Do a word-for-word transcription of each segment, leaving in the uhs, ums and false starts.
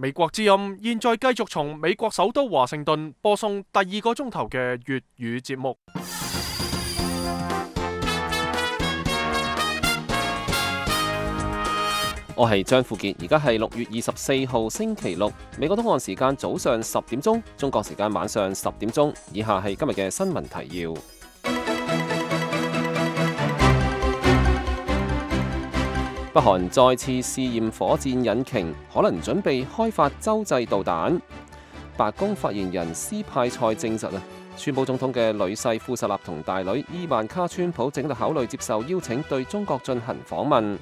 美國之音現在繼續從美國首都華盛頓播送第二個鐘頭嘅粵語節目。我係張富傑，而家係六月二十四號星期六，美國東岸時間早上十點鐘，中國時間晚上十點鐘。以下係今日嘅新聞提要。北韓再次試驗火箭引擎，可能準備開發洲際導彈。白宮發言人斯派塞證實啊，川普總統嘅女婿庫什納同大女伊萬卡川普正喺度考慮接受邀請對中國進行訪問。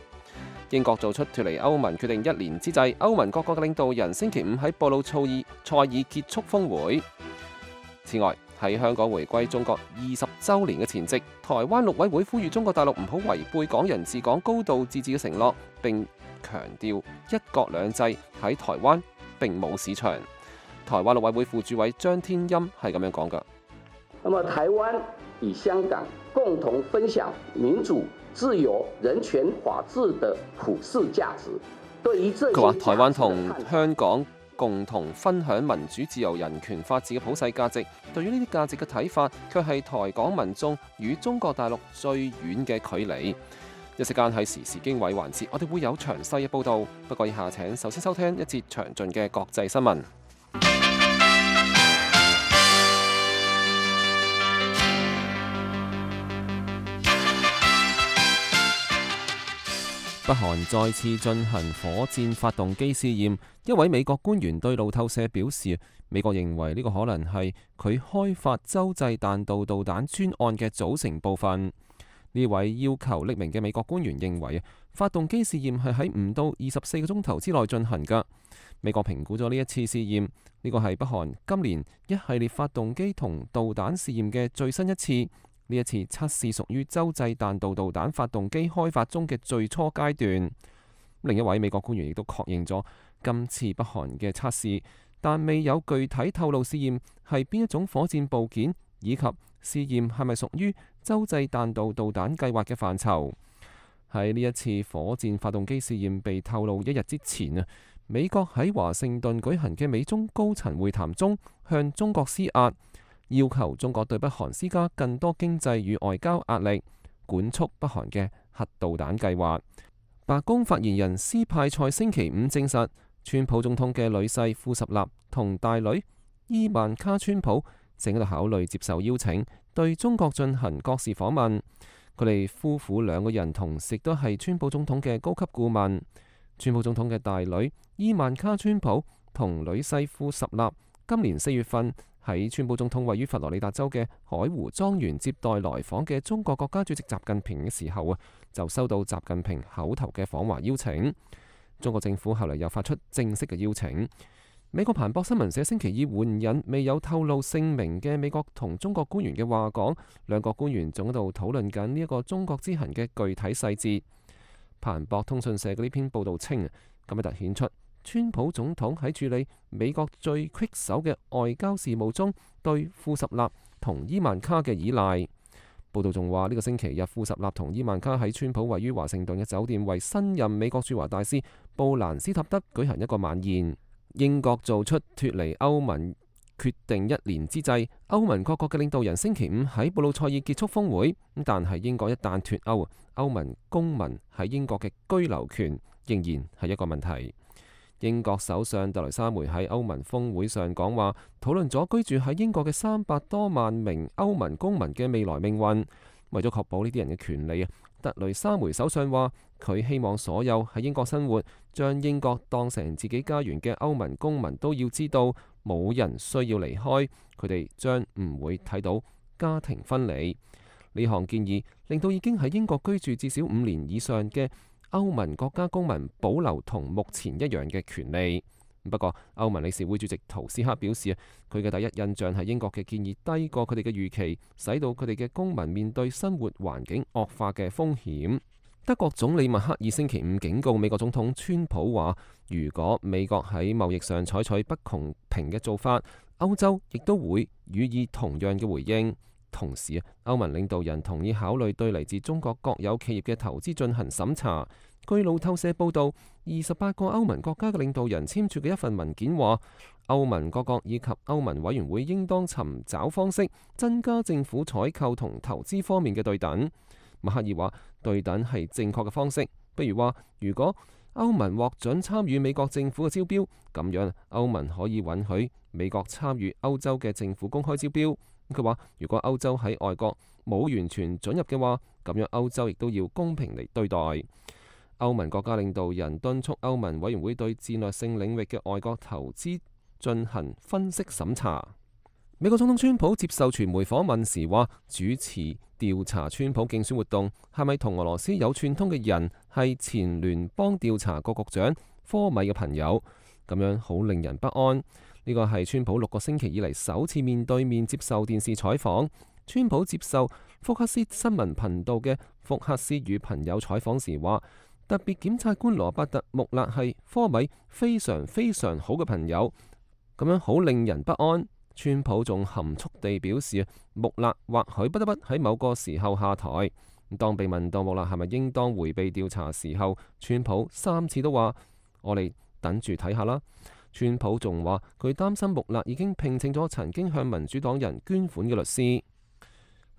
英國做出脫離歐盟決定一年之際，歐盟各國嘅領導人星期五喺布魯塞爾塞爾結束峰會。此外，喺香港回歸中國二十週年嘅前夕，台灣陸委會呼籲中國大陸唔好違背港人治港、高度自治嘅承諾，並強調一國兩制喺台灣並冇市場。台灣陸委會副主委張天欽係咁樣講㗎。那麼台灣與香港共同分享民主、自由、人權、法治的普世價值。對於這些，佢話台灣同香港共同分享民主、自由、人權、法治嘅普世價值。對於呢啲價值嘅睇法，卻係台港民眾與中國大陸最遠嘅距離。一時間喺時事經緯環節，我哋會有詳細嘅報導。不過以下請首先收聽一節詳盡嘅國際新聞。北韓再次進行火箭發動機試驗，一位美國官員對路透社表示，美國認為呢個可能係佢開發洲際彈道導彈專案嘅組成部分。呢位要求匿名嘅美國官員認為，發動機試驗係喺唔到二十四個鐘頭之內進行㗎。美國評估咗呢一次試驗，呢個係北韓今年一系列發動機同導彈試驗嘅最新一次。呢一次測試屬於洲際彈道導彈發動機開發中嘅最初階段。另一位美國官員亦都確認咗今次北韓嘅測試，但未有具體透露試驗係邊一種火箭部件，以及試驗係咪屬於洲際彈道導彈計劃嘅範疇。喺呢一次火箭發動機試驗被透露一日之前啊，美國喺華盛頓舉行嘅美中高層會談中向中國施壓，要求中國對北韓施加更多經濟與外交壓力，管束北韓嘅核導彈計劃。白宮發言人斯派塞星期五證實，川普總統嘅女婿庫什納同大女伊萬卡川普正喺度考慮接受邀請，對中國進行國事訪問。佢哋夫婦兩個人同時都係川普總統嘅高級顧問。川普總統嘅大女伊萬卡川普同女婿庫什納今年四月份喺川普總統位於佛羅里達州嘅海湖莊園接待來訪嘅中國國家主席習近平嘅時候啊，就收到習近平口頭嘅訪華邀請。中國政府後嚟又發出正式嘅邀請。美國彭博新聞社星期二援引未有透露姓名嘅美國同中國官員嘅話講，兩個官員仲喺度討論緊呢一個中國之行嘅具體細節。彭博通訊社嘅呢篇報導稱，咁樣突顯出川普總統喺處理美國最棘手嘅外交事務中對庫什納同伊萬卡嘅依賴。報道仲話呢個星期日，庫什納同伊萬卡喺川普位於華盛頓嘅酒店為新任美國駐華大使布蘭斯塔德舉行一個晚宴。英國做出脫離歐盟決定一年之際，歐盟各國嘅領導人星期五喺布魯塞爾結束峰會。但係英國一旦脫歐，歐盟公民喺英國嘅居留權仍然係一個問題。英國首相特蕾莎梅喺歐盟峰會上講話，討論咗居住喺英國嘅三百多萬名歐盟公民嘅未來命運。為咗確保呢啲人嘅權利啊，特蕾莎梅首相話佢希望所有喺英國生活、將英國當成自己家園嘅歐盟公民都要知道，冇人需要離開，佢哋將唔會睇到家庭分離。呢項建議令到已經喺英國居住至少五年以上嘅歐盟國家公民保留同目前一樣嘅權利。不過，歐盟理事會主席圖斯克表示，佢嘅第一印象係英國嘅建議低過佢哋嘅預期，使到佢哋嘅公民面對生活環境惡化嘅風險。德國總理默克爾星期五警告美國總統川普話，如果美國喺貿易上採取不公平嘅做法，歐洲亦都會予以同樣嘅回應。同時，歐盟領導人同意考慮對嚟自中國國有企業嘅投資進行審查。據路透社報導，二十八個歐盟國家嘅領導人簽署嘅一份文件話，歐盟各國以及歐盟委員會應當尋找方式增加政府採購同投資方面嘅對等。默克爾話，對等係正確嘅方式，不如話如果歐盟獲准參與美國政府嘅招標，咁樣歐盟可以允許美國參與歐洲嘅政府公開招標。佢話如果歐洲喺外國冇完全准入嘅話，咁樣歐洲亦都要公平嚟對待。歐盟國家領導人敦促歐盟委員會對戰略性領域嘅外國投資進行分析審查。美國總統川普接受傳媒訪問時話，主持調查川普競選活動係咪同俄羅斯有串通嘅人係前聯邦調查局局長科米嘅朋友，咁樣好令人不安。呢個係川普六個星期以嚟首次面對面接受電視採訪。川普接受福克斯新聞頻道嘅福克斯與朋友採訪時話，特別檢察官羅伯特穆勒係科米非常非常好嘅朋友，咁樣好令人不安。川普仲含蓄地表示，穆勒或許不得不喺某個時候下台。當被問到穆勒係咪應當迴避調查時候，川普三次都話：我哋等住睇下啦。川普仲話佢擔心穆勒已經聘請咗曾經向民主黨人捐款嘅律師。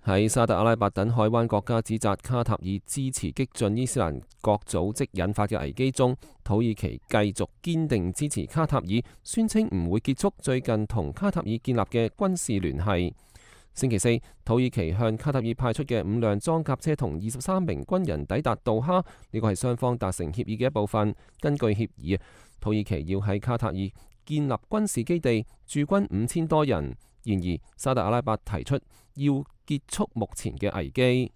喺沙特阿拉伯等海灣國家指責卡塔爾支持激進伊斯蘭國組織引發嘅危機中，土耳其繼續堅定支持卡塔爾，宣稱唔會結束最近同卡塔爾建立嘅軍事聯繫。星期四，土耳其向卡塔爾派出嘅五輛裝甲車同二十三名軍人抵達杜哈，呢個係雙方達成協議嘅一部分。根據協議，土耳其要喺卡塔爾建立軍事基地，駐軍五千多人。然而，沙特阿拉伯提出要結束目前嘅危機。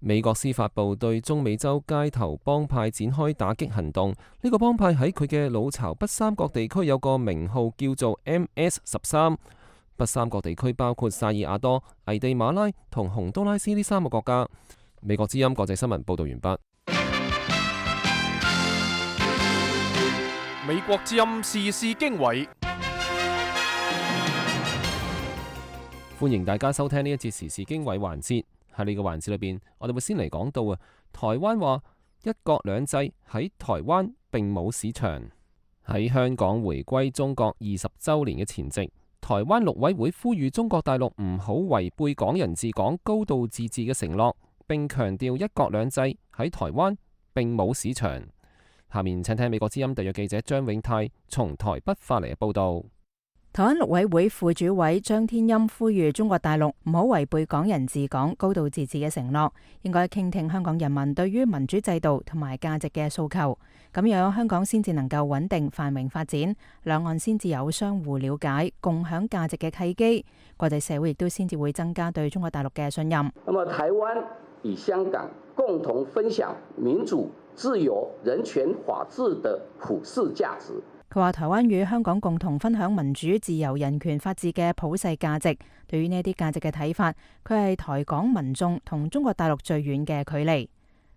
美國司法部對中美洲街頭幫派展開打擊行動。呢個幫派喺佢嘅老巢北三角地區有個名號叫做 M S 十三。北三角地區包括薩爾瓦多、危地馬拉同洪都拉斯呢三個國家。美國之音國際新聞報道完畢。美國之音時事經緯。歡迎大家收聽呢一節時事經緯環節。喺呢個環節裏邊，我哋會先嚟講到啊，台灣話一國兩制喺台灣並冇市場。喺香港回歸中國二十週年嘅前夕，台灣陸委會呼籲中國大陸唔好違背港人治港、高度自治嘅承諾，並強調一國兩制喺台灣並冇市場。下面請聽美國之音特約記者張永泰從台北發嚟嘅報道。台灣陸委會副主委張天欽呼籲中國大陸唔好違背港人治港、高度自治嘅承諾，應該傾聽香港人民對於民主制度同埋價值嘅訴求，咁樣香港先至能夠穩定繁榮發展，兩岸先至有相互了解、共享價值嘅契機，國際社會亦都先至會增加對中國大陸嘅信任。那麼台灣與香港共同分享民主、自由、人權、法治的普世價值。佢話台灣與香港共同分享民主、自由、人權、法治嘅普世價值。對於呢啲價值嘅睇法，佢係台港民眾同中國大陸最遠嘅距離。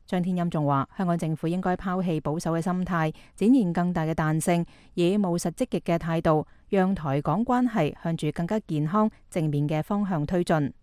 張天欽仲話，香港政府應該拋棄保守嘅心態，展現更大嘅彈性，以務實積極嘅態度，讓台港關係向住更加健康、正面嘅方向推進。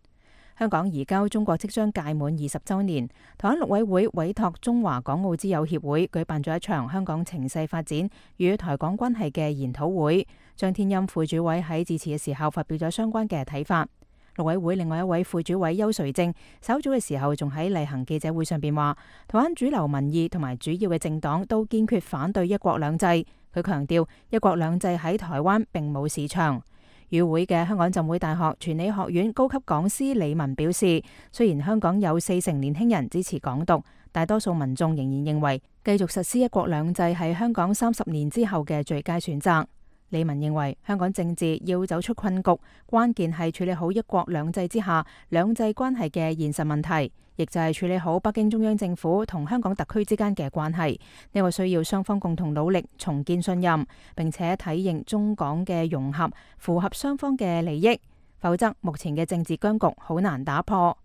香港移交中國即將屆滿二十週年，台灣陸委會委託中華港澳之友協會舉辦咗一場香港情勢發展與台港關係嘅研討會。張天欽副主委喺致辭嘅時候發表咗相關嘅睇法。陸委會另外一位副主委邱垂正稍早嘅時候仲喺例行記者會上邊話，台灣主流民意同埋主要嘅政黨都堅決反對一國兩制。佢強調一國兩制喺台灣並冇市場。與會嘅香港浸會大學傳理學院高級講師李文表示，雖然香港有四成年輕人支持港獨，大多數民眾仍然認為繼續實施一國兩制係香港三十年之後嘅最佳選擇。李文認為香港政治要走出困局，關鍵係處理好一國兩制之下兩制關係嘅現實問題，亦就係處理好北京中央政府同香港特區之間嘅關係。呢個需要雙方共同努力重建信任，並且體認中港嘅融合符合雙方嘅利益，否則目前嘅政治僵局好難打破。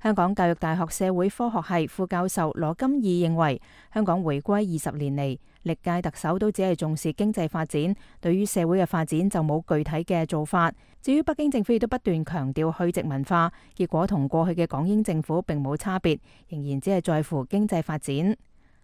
香港教育大學社會科學系副教授羅金義認為，香港回歸二十年嚟，歷屆特首都只係重視經濟發展，對於社會嘅發展就冇具體嘅做法。至於北京政府亦都不斷強調去殖文化，結果同過去嘅港英政府並冇差別，仍然只係在乎經濟發展。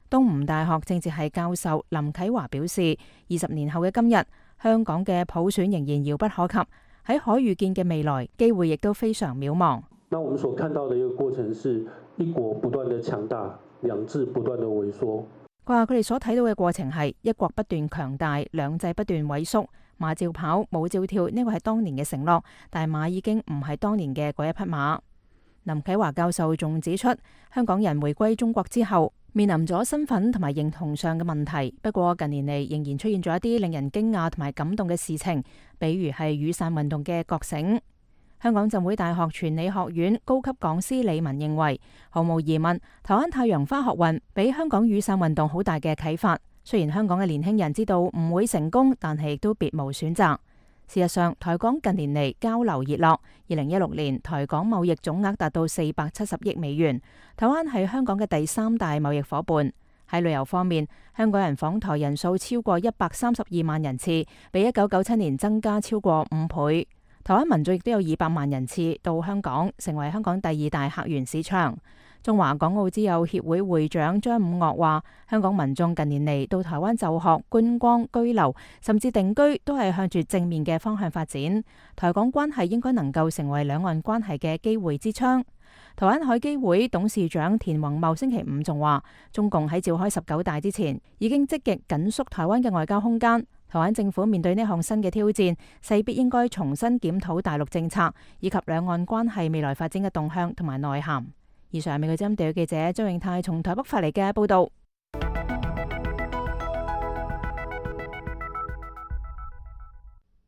東吳大學政治系教授林啟華表示，二十年後嘅今日，香港嘅普選仍然遙不可及，喺可預見嘅未來，機會亦都非常渺茫。那我們所看到的一個過程是一國不斷的強大，兩制不斷的萎縮。佢話佢哋所睇到嘅過程係一國不斷強大，兩制不斷萎縮，馬照跑，舞照跳，呢個係當年嘅承諾，但係馬已經唔係當年嘅嗰一匹馬。林啟華教授仲指出，香港人回歸中國之後，面臨咗身份同埋認同上嘅問題。不過近年嚟仍然出現咗一啲令人驚訝同埋感動嘅事情，比如係雨傘運動嘅覺醒。香港浸會大學傳理學院高級講師李文認為，毫無疑問，台灣太陽花學運俾香港雨傘運動好大嘅啟發。雖然香港嘅年輕人知道唔會成功，但係亦都別無選擇。事實上，台港近年嚟交流熱絡。二零一六年，台港貿易總額達到四百七十億美元。台灣係香港嘅第三大貿易夥伴。喺旅遊方面，香港人訪台人數超過一百三十二萬人次，比一九九七年增加超過五倍。台灣民眾亦都有二百萬人次到香港，成為香港第二大客源市場。中華港澳之友協會會長張五岳話，香港民眾近年嚟到台灣就學、觀光、居留，甚至定居，都係向住正面嘅方向發展。台港關係應該能夠成為兩岸關係嘅機會之窗。台灣海基會董事長田宏茂星期五仲話，中共喺召開十九大之前，已經積極緊縮台灣嘅外交空間。台灣政府面對呢項新嘅挑戰，勢必應該重新檢討大陸政策，以及兩岸關係未來發展嘅動向同埋內涵。以上係美國之音地記者張永泰從台北發嚟嘅報道。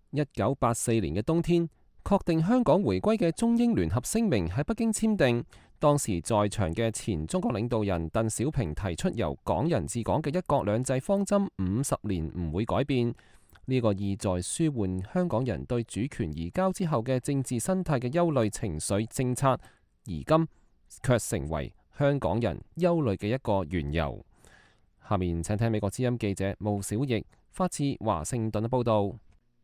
一九八四年嘅冬天，確定香港回歸嘅中英聯合聲明喺北京簽訂。當時在場嘅前中國領導人鄧小平提出由港人治港嘅一國兩制方針五十年唔會改變，呢、這個意在舒緩香港人對主權移交之後嘅政治生態嘅憂慮情緒政策，而今卻成為香港人憂慮嘅一個緣由。下面請聽美國之音記者毛小翼發自華盛頓嘅報道。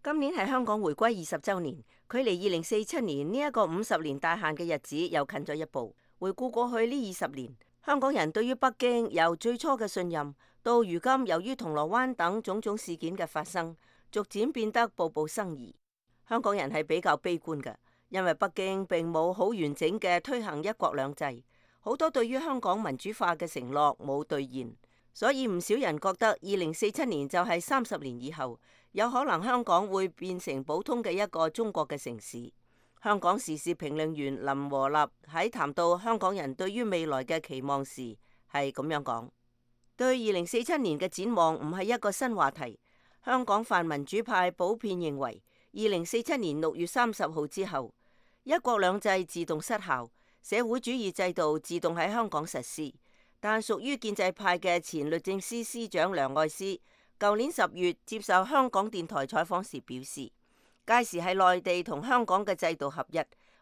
今年係香港回歸二十週年，距離二零四七年呢一個五十年大限嘅日子又近咗一步。回顧過去呢二十年，香港人對於北京由最初嘅信任，到如今由於銅鑼灣等種種事件嘅發生，逐漸變得步步生疑。香港人係比較悲觀嘅，因為北京並冇好完整嘅推行一國兩制，好多對於香港民主化嘅承諾冇兌現，所以唔少人覺得二零四七年就係三十年以後，有可能香港會變成普通嘅一個中國嘅城市。香港時事評論員林和立喺談到香港人對於未來嘅期望時，係咁樣講：對二零四七年嘅展望唔係一個新話題。香港泛民主派普遍認為，二零四七年六月三十號之後，一國兩制自動失效，社會主義制度自動喺香港實施。但屬於建制派嘅前律政司司長梁愛詩，舊年十月接受香港電台採訪時表示，屆時係內地同香港嘅制度合一，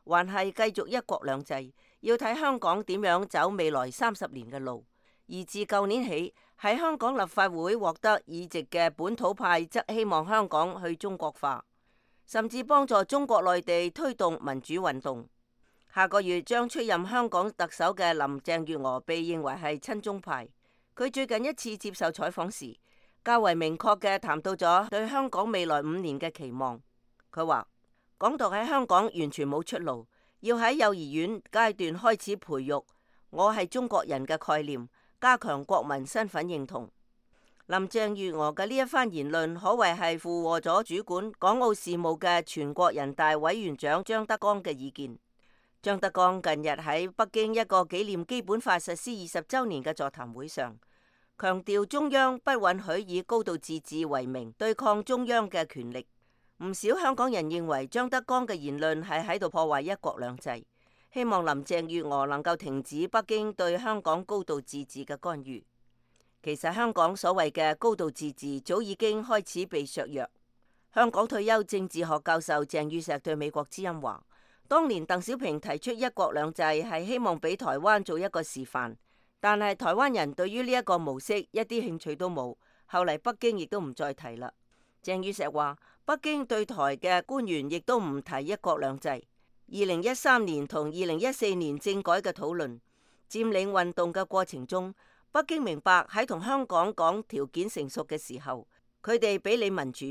還係繼續一國兩制，要睇香港點樣走未來三十年嘅路。而自舊年起，喺香港立法會獲得議席嘅本土派則希望香港去中國化，甚至幫助中國內地推動民主運動。下個月將出任香港特首嘅林鄭月娥被認為係親中派。佢最近一次接受採訪時，較為明確嘅談到咗對香港未來五年嘅期望。佢話：港獨喺香港完全冇出路，要喺幼兒園階段開始培育我係中國人嘅概念，加強國民身份認同。林鄭月娥嘅呢一番言論可謂係附和咗主管港澳事務嘅全國人大委員長張德江嘅意見。張德江近日喺北京一個紀念基本法實施二十週年嘅座談會上，強調中央不允許以高度自治為名對抗中央嘅權力。唔少香港人認為張德江嘅言論係喺度破壞一國兩制，希望林鄭月娥能夠停止北京對香港高度自治嘅干預。其實香港所謂嘅高度自治早已經開始被削弱。香港退休政治學教授鄭宇碩對美國之音話：當年鄧小平提出一國兩制係希望俾台灣做一個示範，但係台灣人對於呢一個模式一啲興趣都冇，後嚟北京亦都唔再提啦。鄭宇碩話：北京對台嘅官員亦都唔提一國兩制。二零一三年同二零一四年政改嘅討論、佔領運動嘅過程中，北京明白喺同香港講條件成熟嘅時候，佢哋比你民主。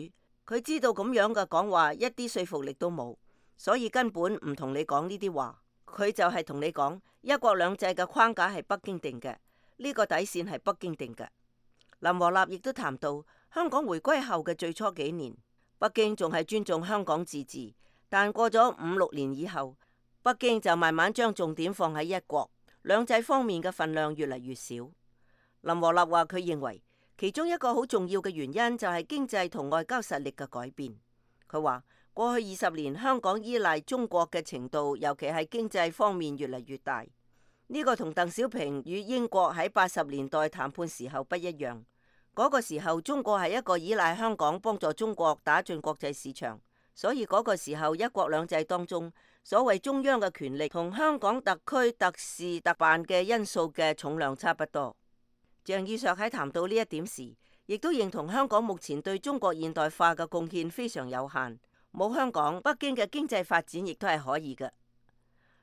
佢知道咁樣嘅講話一啲說服力都冇，所以根本唔同你講呢啲話。佢就係同你講一國兩制嘅框架係北京定嘅，呢個底線係北京定嘅。林和立亦都談到香港回歸後嘅最初幾年，北京仲係尊重香港自治，但過咗五六年以後，北京就慢慢將重點放喺一國兩制方面嘅份量越嚟越少。林和立話佢認為其中一個好重要嘅原因就係經濟同外交實力嘅改變。佢話過去二十年香港依賴中國嘅程度，尤其係經濟方面越嚟越大。呢個同鄧小平與英國喺八十年代談判時候不一樣。嗰個時候中國係一個依賴香港幫助中國打進國際市場，所以嗰個時候一國兩制當中所謂中央嘅權力同香港特區特事特辦嘅因素嘅重量差不多。鄭宇碩喺談到呢一點時，亦都認同香港目前對中國現代化嘅貢獻非常有限，冇香港，北京嘅經濟發展亦都係可以嘅。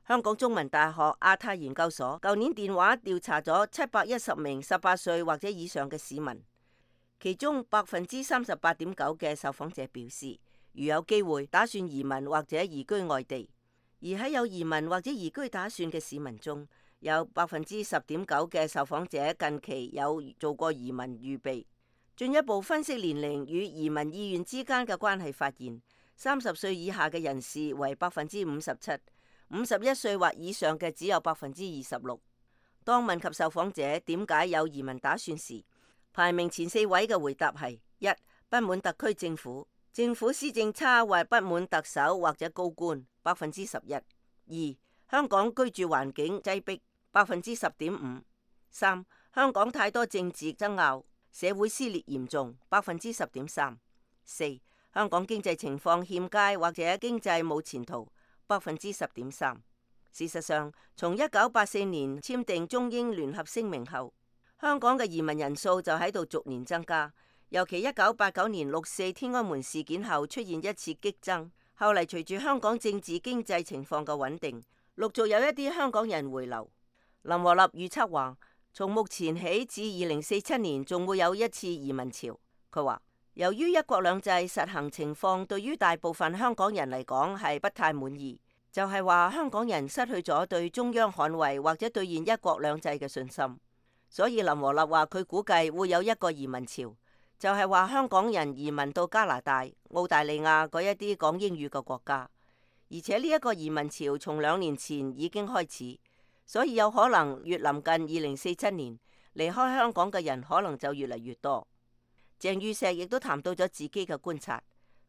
香港中文大學亞太研究所舊年電話調查咗七百一十名十八歲或者以上嘅市民，其中百分之三十八點九嘅受訪者表示，如有機會打算移民或者移居外地。而喺有移民或者移居打算嘅市民中，有百分之十點九嘅受訪者近期有做過移民預備。進一步分析年齡與移民意願之間嘅關係，發現三十歲以下嘅人士為百分之五十七，五十一歲或以上嘅只有百分之二十六。當問及受訪者點解有移民打算時，排名前四位嘅回答係：一、不滿特區政府，政府施政差或不滿特首或者高官，百分之十一；二、香港居住環境擠迫，百分之十點五；三、香港太多政治爭拗，社會撕裂嚴重，百分之十點三；四、香港經濟情況欠佳或者經濟冇前途，百分之十點三。事實上，從一九八四年簽訂中英聯合聲明後，香港嘅移民人數就喺度逐年增加，尤其一九八九年六四天安門事件後出現一次激增，後嚟隨住香港政治經濟情況嘅穩定，陸續有一啲香港人回流。林和立預測話，從目前起至二零四七年仲會有一次移民潮。佢話，由於一國兩制實行情況對於大部分香港人嚟講係不太滿意，就係話香港人失去咗對中央捍衛或者兌現一國兩制嘅信心。所以林和立話佢估計會有一個移民潮，就係話香港人移民到加拿大、澳大利亞嗰一啲講英語嘅國家，而且呢一個移民潮從兩年前已經開始。所以有可能越臨近二零四七年，離開香港嘅人可能就越嚟越多。鄭宇碩亦都談到咗自己嘅觀察，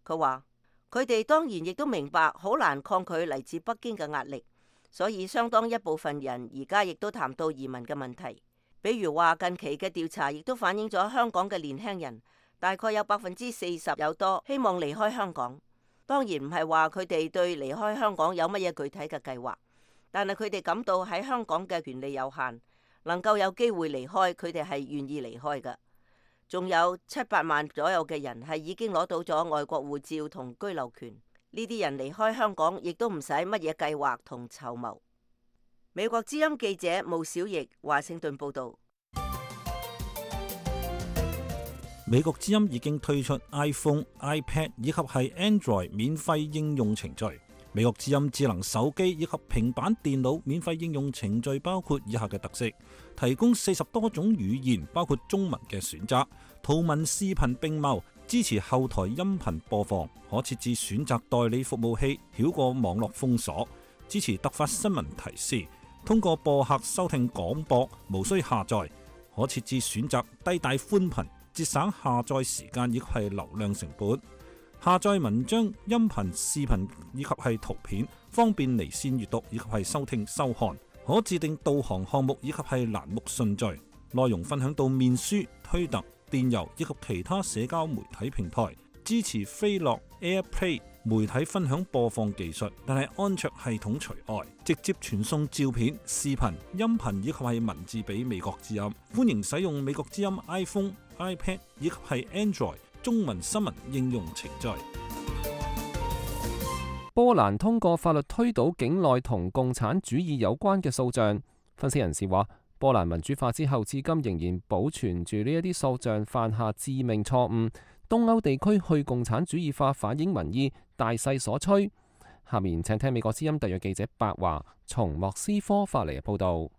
佢話佢哋當然亦都明白好難抗拒嚟自北京嘅壓力，所以相當一部分人而家亦都談到移民嘅問題。比如話近期嘅調查亦都反映咗香港嘅年輕人大概有百分之四十有多希望離開香港。當然唔係話佢哋對離開香港有乜嘢具體嘅計劃。但係佢哋感到喺香港嘅權利有限，能夠有機會離開，佢哋係願意離開嘅。仲有七百萬左右嘅人係已經攞到咗外國護照同居留權，呢啲人離開香港亦都唔使乜嘢計劃同籌謀。美國之音記者毛小翼華盛頓報導。美國之音已經推出 iPhone、iPad 以及係 Android 免費應用程序。美國之音智能手機以及平板電腦免費應用程序包括以下嘅特色：提供四十多種語言，包括中文嘅選擇，圖文視頻並茂，支持後台音頻播放，可設置選擇代理服務器，繞過網絡封鎖，支持突發新聞提示，通過播客收聽廣播，無需下載，可設置選擇低帶寬頻，節省下載時間以及係流量成本。下載文章、音頻、視頻以及係圖片，方便離線閱讀以及係收聽收看。可自定導航項目以及係欄目順序，內容分享到面書、推特、電郵以及其他社交媒體平台。支持飛樂 AirPlay 媒體分享播放技術，但係安卓系統除外。直接傳送照片、視頻、音頻以及係文字俾美國之音。歡迎使用美國之音 iPhone、iPad 以及係 Android中文新聞應用程序。波蘭通過法律推倒境內同共產主義有關嘅訴訟。分析人士話，波蘭民主化之後，至今仍然保存住呢一啲塑像犯下致命錯誤。東歐地區去共產主義化反映民意，大勢所趨。下面請聽美國之音特約記者白華從莫斯科發嚟嘅報導。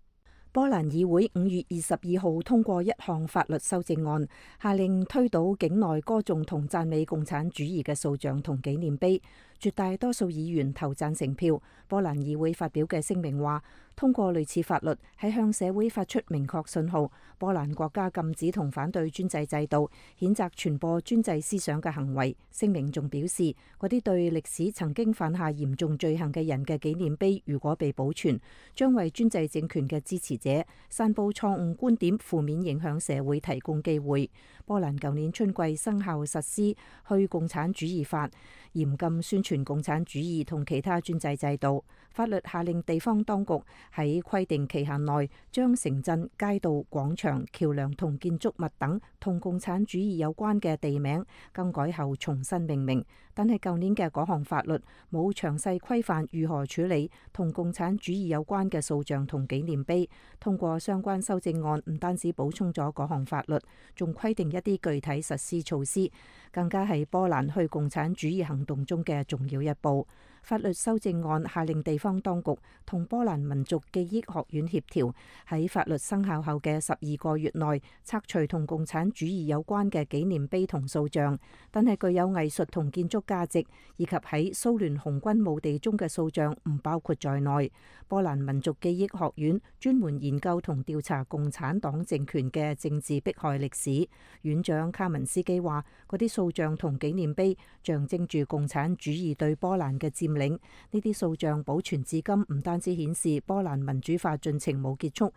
波蘭議會五月二十二號通過一項法律修正案，下令推倒境內歌頌同讚美共產主義嘅塑像同紀念碑。絕大多數議員投贊成票。波蘭議會發表嘅聲明話，通過類似法律係向社會發出明確信號。波蘭國家禁止同反對專制制度，譴責傳播專制思想嘅行為。聲明仲表示，嗰啲對歷史曾經犯下嚴重罪行嘅人嘅紀念碑，如果被保存，將為專制政權嘅支持者散佈錯誤觀點、負面影響社會提供機會。波蘭舊年春季生效實施去共產主義法，嚴禁宣傳共產主義同其他專制制度。法律下令地方當局喺規定期限內將城鎮、街道、廣場、橋梁同建築物等同共產主義有關嘅地名更改後重新命名。但係舊年嘅嗰項法律冇詳細規範如何處理同共產主義有關嘅塑像同紀念碑。通過相關修正案，唔單止補充咗嗰項法律，仲規定一啲具體實施措施，更加係波蘭去共產主義行動中嘅重要一步。法律修正案下令地方當局同波蘭民族記憶學院協調，喺法律生效後嘅十二個月內拆除同共產主義有關嘅紀念碑同塑像，但係具有藝術同建築價值以及喺蘇聯紅軍墓地中嘅塑像唔包括在內。波蘭民族記憶學院專門研究同調查共產黨政權嘅政治迫害歷史。院長卡文斯基話，嗰啲塑像同紀念碑象徵住共產主義對波蘭嘅佔領。呢啲塑像保存至今，唔單止顯示波蘭民主化進程冇結束，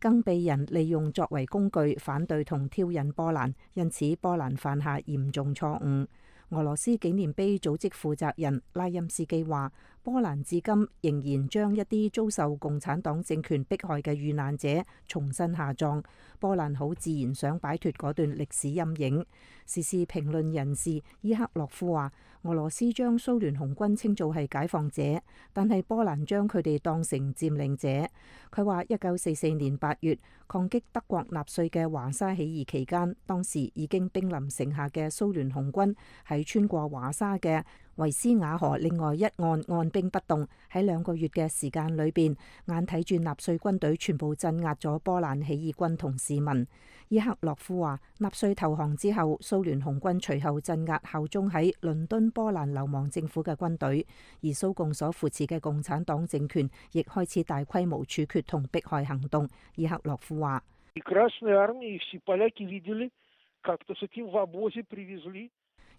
更被人利用作為工具反對同挑釁波蘭，因此波蘭犯下嚴重錯誤。俄羅斯紀念碑組織負責人拉欽斯基話，波蘭至今仍然將一啲遭受共產黨政權迫害嘅遇難者重新下葬。波蘭好自然想擺脫嗰段歷史陰影。時事評論人士伊克洛夫話，俄羅斯將蘇聯紅軍稱做係解放者，但係波蘭將佢哋當成佔領者。佢話一九四四年八月抗擊德國納粹嘅華沙起義期間，當時已經兵臨城下嘅蘇聯紅軍喺穿過華沙嘅維斯瓦河另外一岸按兵不動，喺兩個月嘅時間裏邊，眼睇住納粹軍隊全部鎮壓咗波蘭起義軍同市民。伊克洛夫話，納粹投降之後，蘇聯紅軍隨後鎮壓效忠喺倫敦波蘭流亡政府嘅軍隊，而蘇共所扶持嘅共產黨政權亦開始大規模處決同迫害行動。伊克洛夫話，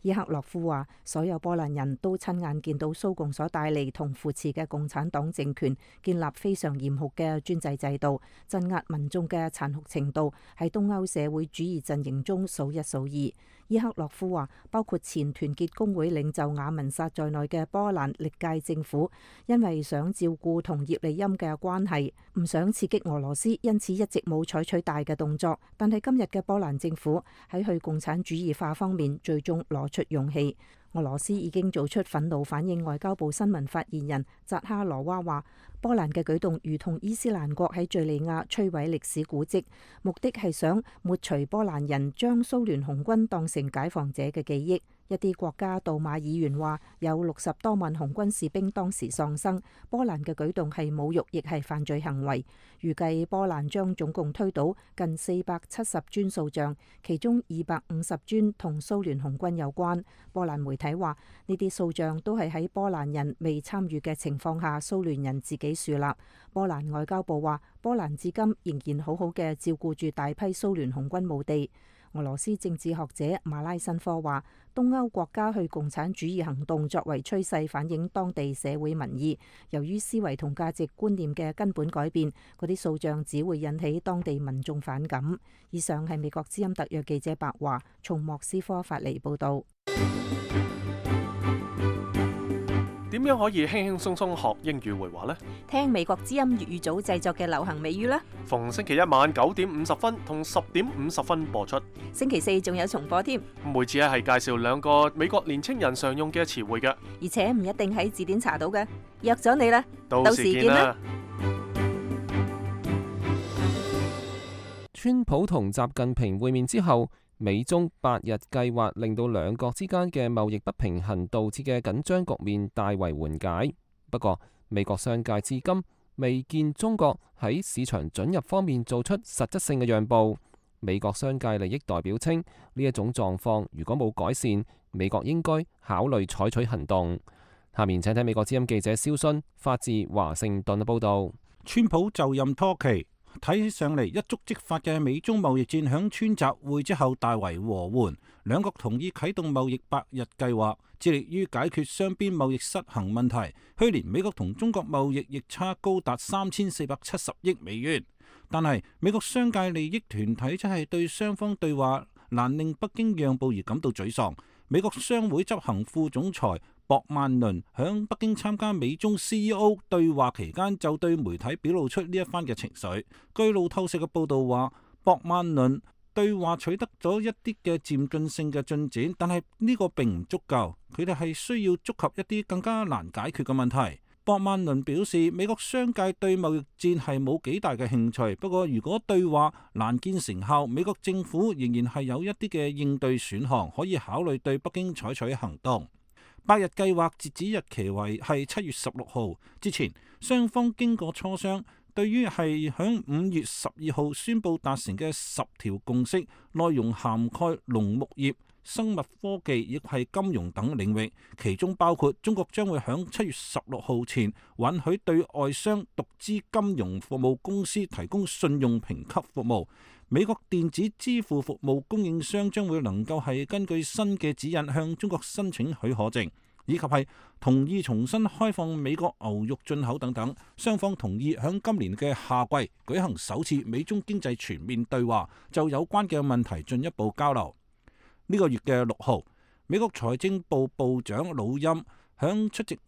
伊克洛夫話，所有波蘭人都親眼見到蘇共所帶嚟同扶持嘅共產黨政權建立非常嚴酷嘅專制制度，鎮壓民眾嘅殘酷程度喺東歐社會主義陣營中數一數二。伊克洛夫話，包括前團結工會領袖雅文薩在內嘅波蘭歷屆政府，因為想照顧同葉利欽嘅關係，唔想刺激俄羅斯，因此一直冇採取大嘅動作。但係今日嘅波蘭政府喺去共產主義化方面，最終攞出勇氣。俄羅斯已經做出憤怒反應。外交部新聞發言人扎哈羅娃話，波蘭嘅舉動如同伊斯蘭國喺敘利亞摧毀歷史古蹟，目的係想抹除波蘭人將蘇聯紅軍當成解放者嘅記憶。一啲國家杜馬議員話，有六十多萬紅軍士兵當時喪生，波蘭嘅舉動係侮辱，亦係犯罪行為。預計波蘭將總共推倒近四百七十尊塑像，其中二百五十尊同蘇聯紅軍有關。波蘭媒體話，呢啲塑像都係喺波蘭人未參與嘅情況下，蘇聯人自己樹立。波蘭外交部話，波蘭至今仍然好好嘅照顧住大批蘇聯紅軍墓地。俄羅斯政治學者馬拉申科話，東歐國家去共產主義行動作為趨勢，反映當地社會民意。由於思維同價值觀念嘅根本改變，嗰啲塑像只會引起當地民眾反感。以上係美國之音特約記者白華從莫斯科發嚟報導。點樣可以輕輕鬆鬆學英語會話呢？聽美國之音粵語組製作嘅流行美語啦！逢星期一晚九點五十分同十點五十分播出，星期四仲有重播添。每次係介紹兩個美國年青人常用嘅詞彙嘅，而且唔一定喺字典查到嘅。約咗你啦，到時見啦！川普同習近平會面之後，美中八日計劃令到兩國之間嘅貿易不平衡導致嘅緊張局面大為緩解。不過，美國商界至今未見中國喺市場准入方面做出實質性嘅讓步。美國商界利益代表稱，呢一種狀況如果冇改善，美國應該考慮採取行動。下面請睇美國之音記者蕭순發自華盛頓嘅報導。川普就任拖期，睇起上嚟一觸即發嘅美中貿易戰響川習會之後大為和緩，兩國同意啟動貿易百日計劃，致力於解決雙邊貿易失衡問題。去年美國同中國貿易逆差高達三千四百七十億美元，但係美國商界利益團體則係對雙方對話難令北京讓步而感到沮喪。美國商會執行副總裁博曼倫響北京參加美中 C E O 對話期間，就對媒體表露出呢一番嘅情緒。據路透社嘅報道話，博曼倫對話取得咗一啲嘅漸進性嘅進展，但係呢個並唔足夠，佢哋係需要觸及一啲更加難解決嘅問題。博曼倫表示，美國商界對貿易戰係冇幾大嘅興趣，不過如果對話難見成效，美國政府仍然係有一啲嘅應對選項，可以考慮對北京採取行動。百日計劃截止日期為係七月十六號之前，雙方經過磋商，對於係響五月十二號宣布達成嘅十條共識，內容涵蓋農牧業、生物科技亦係金融等領域，其中包括中國將會響七月十六號前允許對外商獨資金融服務公司提供信用評級服務。美國電子支付服務供應商將會能夠係根據新嘅指引向中國申請許可證，以及係同意重新開放美國牛肉進口等等。雙方同意響今年嘅夏季舉行首次美中經濟全面對話，就有關嘅問題進一步交流。呢個月嘅六號，美國財政部部長魯欽響出席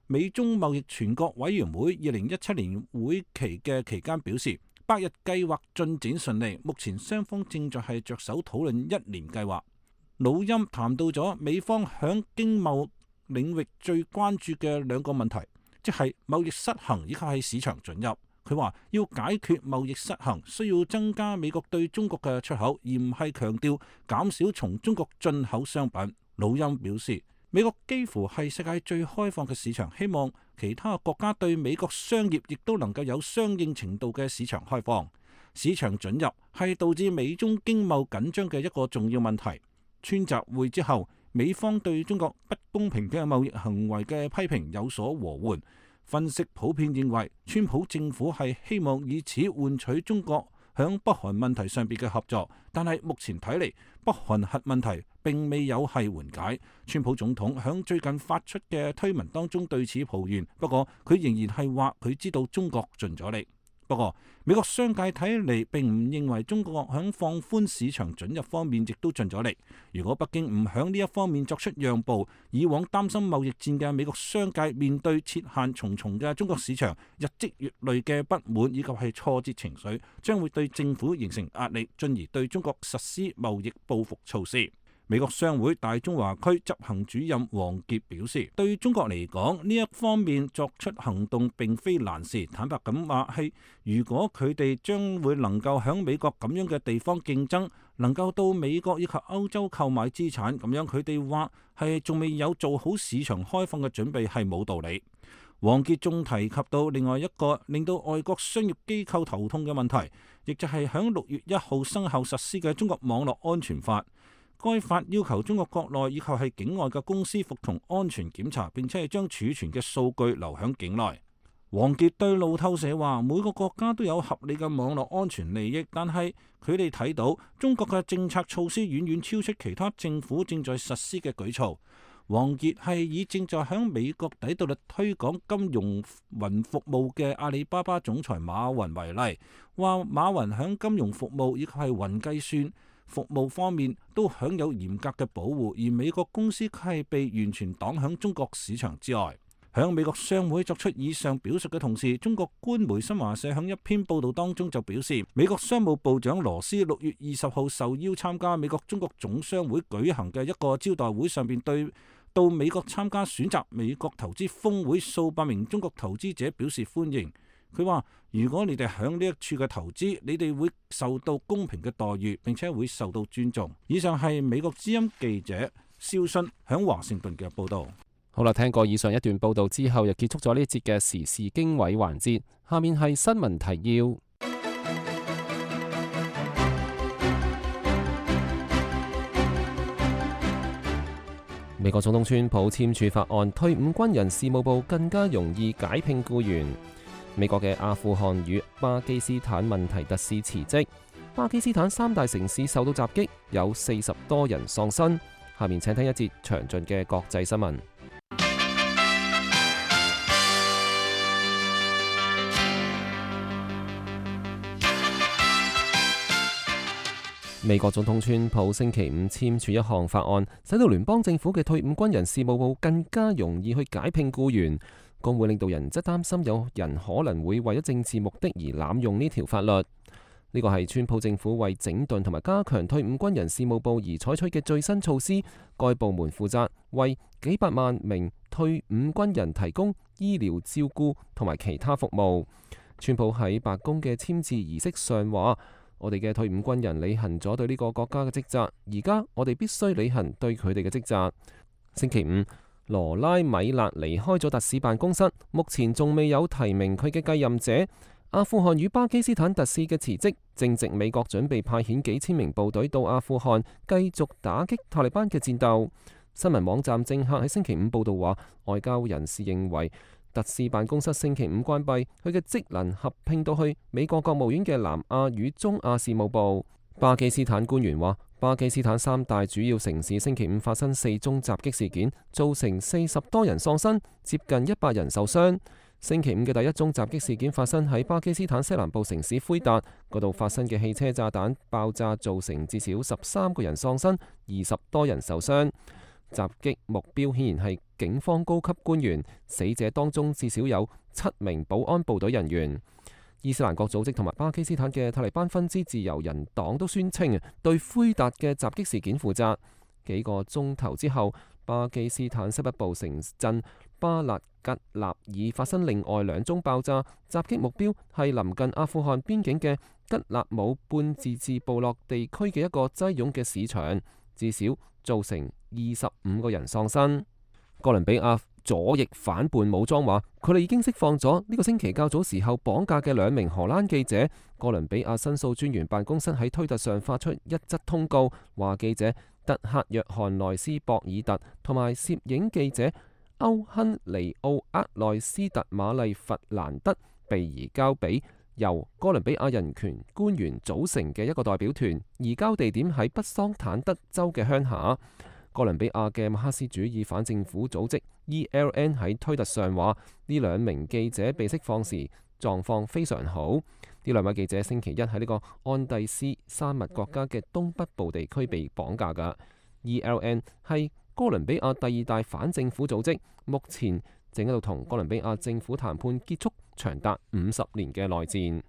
美中貿易全國委員會二零一七年會期嘅期間表示，百日計劃進展順利，目前雙方正在係着手討論一年計劃。魯欽談到咗美方響經貿領域最關注嘅兩個問題，即係貿易失衡以及係市場准入。佢話要解決貿易失衡，需要增加美國對中國嘅出口，而唔係強調減少從中國進口商品。魯欽表示，美國幾乎係世界最開放嘅市場，希望其他國家對美國商業亦都能夠有相應程度嘅市場開放。市場准入係導致美中經貿緊張嘅一個重要問題。川習會之後，美方對中國不公平嘅貿易行為嘅批評有所和緩。分析普遍認為，川普政府係希望以此換取中國響北韓問題上邊嘅合作，但係目前睇嚟，北韓核問題並未有係緩解。川普總統響最近發出嘅推文當中對此抱怨，不過佢仍然係話佢知道中國盡咗力。不過美國商界睇嚟並唔認為中國響放寬市場准入方面亦都盡咗力。如果北京唔響呢一方面作出讓步，以往擔心貿易戰嘅美國商界面對設限重重嘅中國市場，日積月累嘅不滿以及係挫折情緒，將會對政府形成壓力，進而對中國實施貿易報復措施。美國商會大中華區執行主任王傑表示，對於中國嚟講，呢一方面作出行動並非難事。坦白咁話係，如果佢哋將會能夠響美國咁樣嘅地方競爭，能夠到美國以及歐洲購買資產，咁樣佢哋話係仲未有做好市場開放嘅準備係冇道理。王傑仲提及到另外一個令到外國商業機構頭痛嘅問題，亦就係響六月一號生效實施嘅中國網絡安全法。該法要求中國國內以及係境外嘅公司服從安全檢查，並且係將儲存嘅數據留響境內。王傑對路透社話：每個國家都有合理嘅網絡安全利益，但係佢哋睇到中國嘅政策措施遠遠超出其他政府正在實施嘅舉措。王傑係以正在響美國底特律推廣金融雲服務嘅阿里巴巴總裁馬雲為例，話馬雲響金融服務以及係雲計算服務方面都享有嚴格嘅保護，而美國公司卻係被完全擋響中國市場之外。響美國商會作出以上表述嘅同時，中國官媒新華社響一篇報道當中就表示，美國商務部長羅斯六月二十號受邀參加美國中國總商會舉行嘅一個招待會上邊，對到美國參加選擇美國投資峰會數百名中國投資者表示歡迎。佢話：如果你哋響呢一處嘅投資，你哋會受到公平嘅待遇，並且會受到尊重。以上係美國之音記者肖迅響華盛頓嘅報導。好啦，聽過以上一段報導之後，又結束咗呢一節嘅時事經緯環節。下面係新聞提要。美國總統川普簽署法案，退伍軍人事務部更加容易解聘僱員。美國嘅阿富汗與巴基斯坦問題特使辭職。巴基斯坦三大城市受到襲擊，有四十多人喪生。下面請聽一節詳盡嘅國際新聞。美國總統川普星期五簽署一項法案，使到聯邦政府嘅退伍軍人事務部更加容易去解聘僱員。工會領導人則擔心有人可能會為咗政治目的而濫用呢條法律。呢個係川普政府為整頓同埋加強退伍軍人事務部而採取嘅最新措施。該部門負責為幾百萬名退伍軍人提供醫療照顧同埋其他服務。川普喺白宮嘅簽字儀式上話：我哋嘅退伍軍人履行咗對呢個國家嘅職責，而家我哋必須履行對佢哋嘅職責。星期五，羅拉米勒離開咗特使辦公室，目前仲未有提名佢嘅繼任者。阿富汗與巴基斯坦特使嘅辭職，正值美國準備派遣幾千名部隊到阿富汗，繼續打擊塔利班嘅戰鬥。新聞網站政客喺星期五報道話，外交人士認為特使辦公室星期五關閉，佢嘅職能合併到去美國國務院嘅南亞與中亞事務部。巴基斯坦官員話，巴基斯坦三大主要城市星期五發生四宗襲擊事件，造成四十多人喪生，接近一百人受傷。星期五嘅第一宗襲擊事件發生喺巴基斯坦西南部城市奎達，嗰度發生嘅汽車炸彈爆炸造成至少十三個人喪生，二十多人受傷。襲擊目標顯然係警方高級官員，死者當中至少有七名保安部隊人員。伊斯蘭國組織同埋巴基斯坦嘅塔利班分支自由人黨都宣稱對奎達嘅襲擊事件負責。幾個鐘頭之後，巴基斯坦西北部城鎮巴勒吉納爾發生另外兩宗爆炸，襲擊目標係臨近阿富汗邊境嘅吉納姆半自治部落地區嘅一個擠擁嘅市場，至少造成二十五個人喪生。哥倫比亞左翼反叛武裝話，佢哋已經釋放咗呢個星期較早時候綁架嘅兩名荷蘭記者。哥倫比亞申訴專員辦公室喺推特上發出一則通告，話記者特克約翰內斯博爾特同埋攝影記者歐亨尼奧厄內斯特瑪麗弗蘭德被移交俾由哥倫比亞人權官員組成嘅一個代表團，移交地點喺北桑坦德州嘅鄉下。哥倫比亞嘅馬克思主義反政府組織 E L N 喺推特上話，呢兩名記者被釋放時狀況非常好。呢兩位記者星期一喺呢個安第斯山脈國家嘅東北部地區被綁架㗎。E L N 係哥倫比亞第二大反政府組織，目前正喺度同哥倫比亞政府談判結束長達五十年嘅內戰。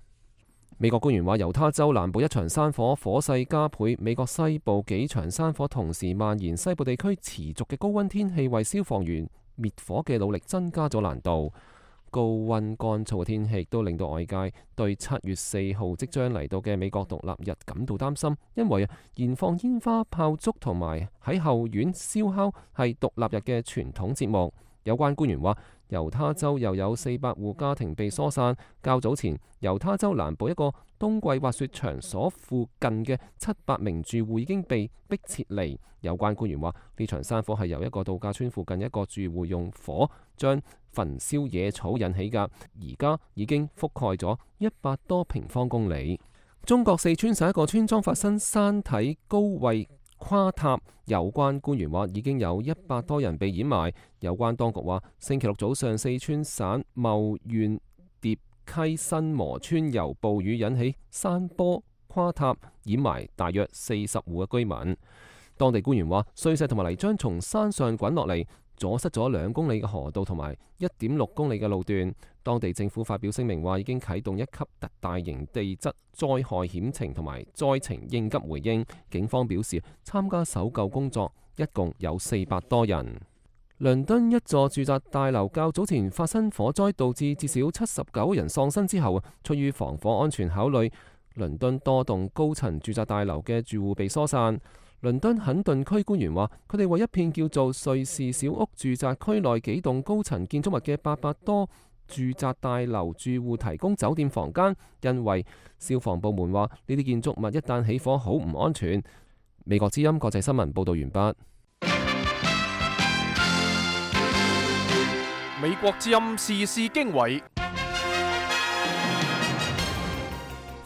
美國官員話，猶他州南部一場山火火勢加倍，美國西部幾場山火同時蔓延，西部地區持續嘅高溫天氣為消防員滅火嘅努力增加咗難度。高溫乾燥嘅天氣亦都令到外界對七月四號即將嚟到嘅美國獨立日感到擔心，因為燃放煙花炮竹同埋喺後院燒烤係獨立日嘅傳統節目。有關官員話，猶他州又有四百戶家庭被疏散。較早前，猶他州南部一個冬季滑雪場所附近嘅七百名住戶已經被迫撤離。有關官員話，呢場山火係由一個度假村附近一個住戶用火將焚燒野草引起㗎，而家已經覆蓋咗一百多平方公里。中國四川省一個村莊發生山體高位垮塌，有關官員話已經有一百多人被掩埋。有關當局話，星期六早上四川省茂縣疊溪新磨村由暴雨引起山坡垮塌，掩埋大約四十戶嘅居民。當地官員話，碎石同埋泥漿從山上滾落嚟，阻塞咗兩公里嘅河道同埋一點六公里嘅路段。當地政府發表聲明話，已經啟動一級特大型地質災害險情同埋災情應急回應。警方表示，參加搜救工作一共有四百多人。倫敦一座住宅大樓較早前發生火災，導致至少七十九人喪生之後，出於防火安全考慮，倫敦多棟高層住宅大樓嘅住戶被疏散。倫敦肯頓區官員話，佢哋為一片叫做瑞士小屋住宅區內幾棟高層建築物嘅八百多住宅大樓住戶提供酒店房間，因為消防部門話呢啲建築物一旦起火好唔安全。美國之音國際新聞報道完畢。美國之音時事經緯，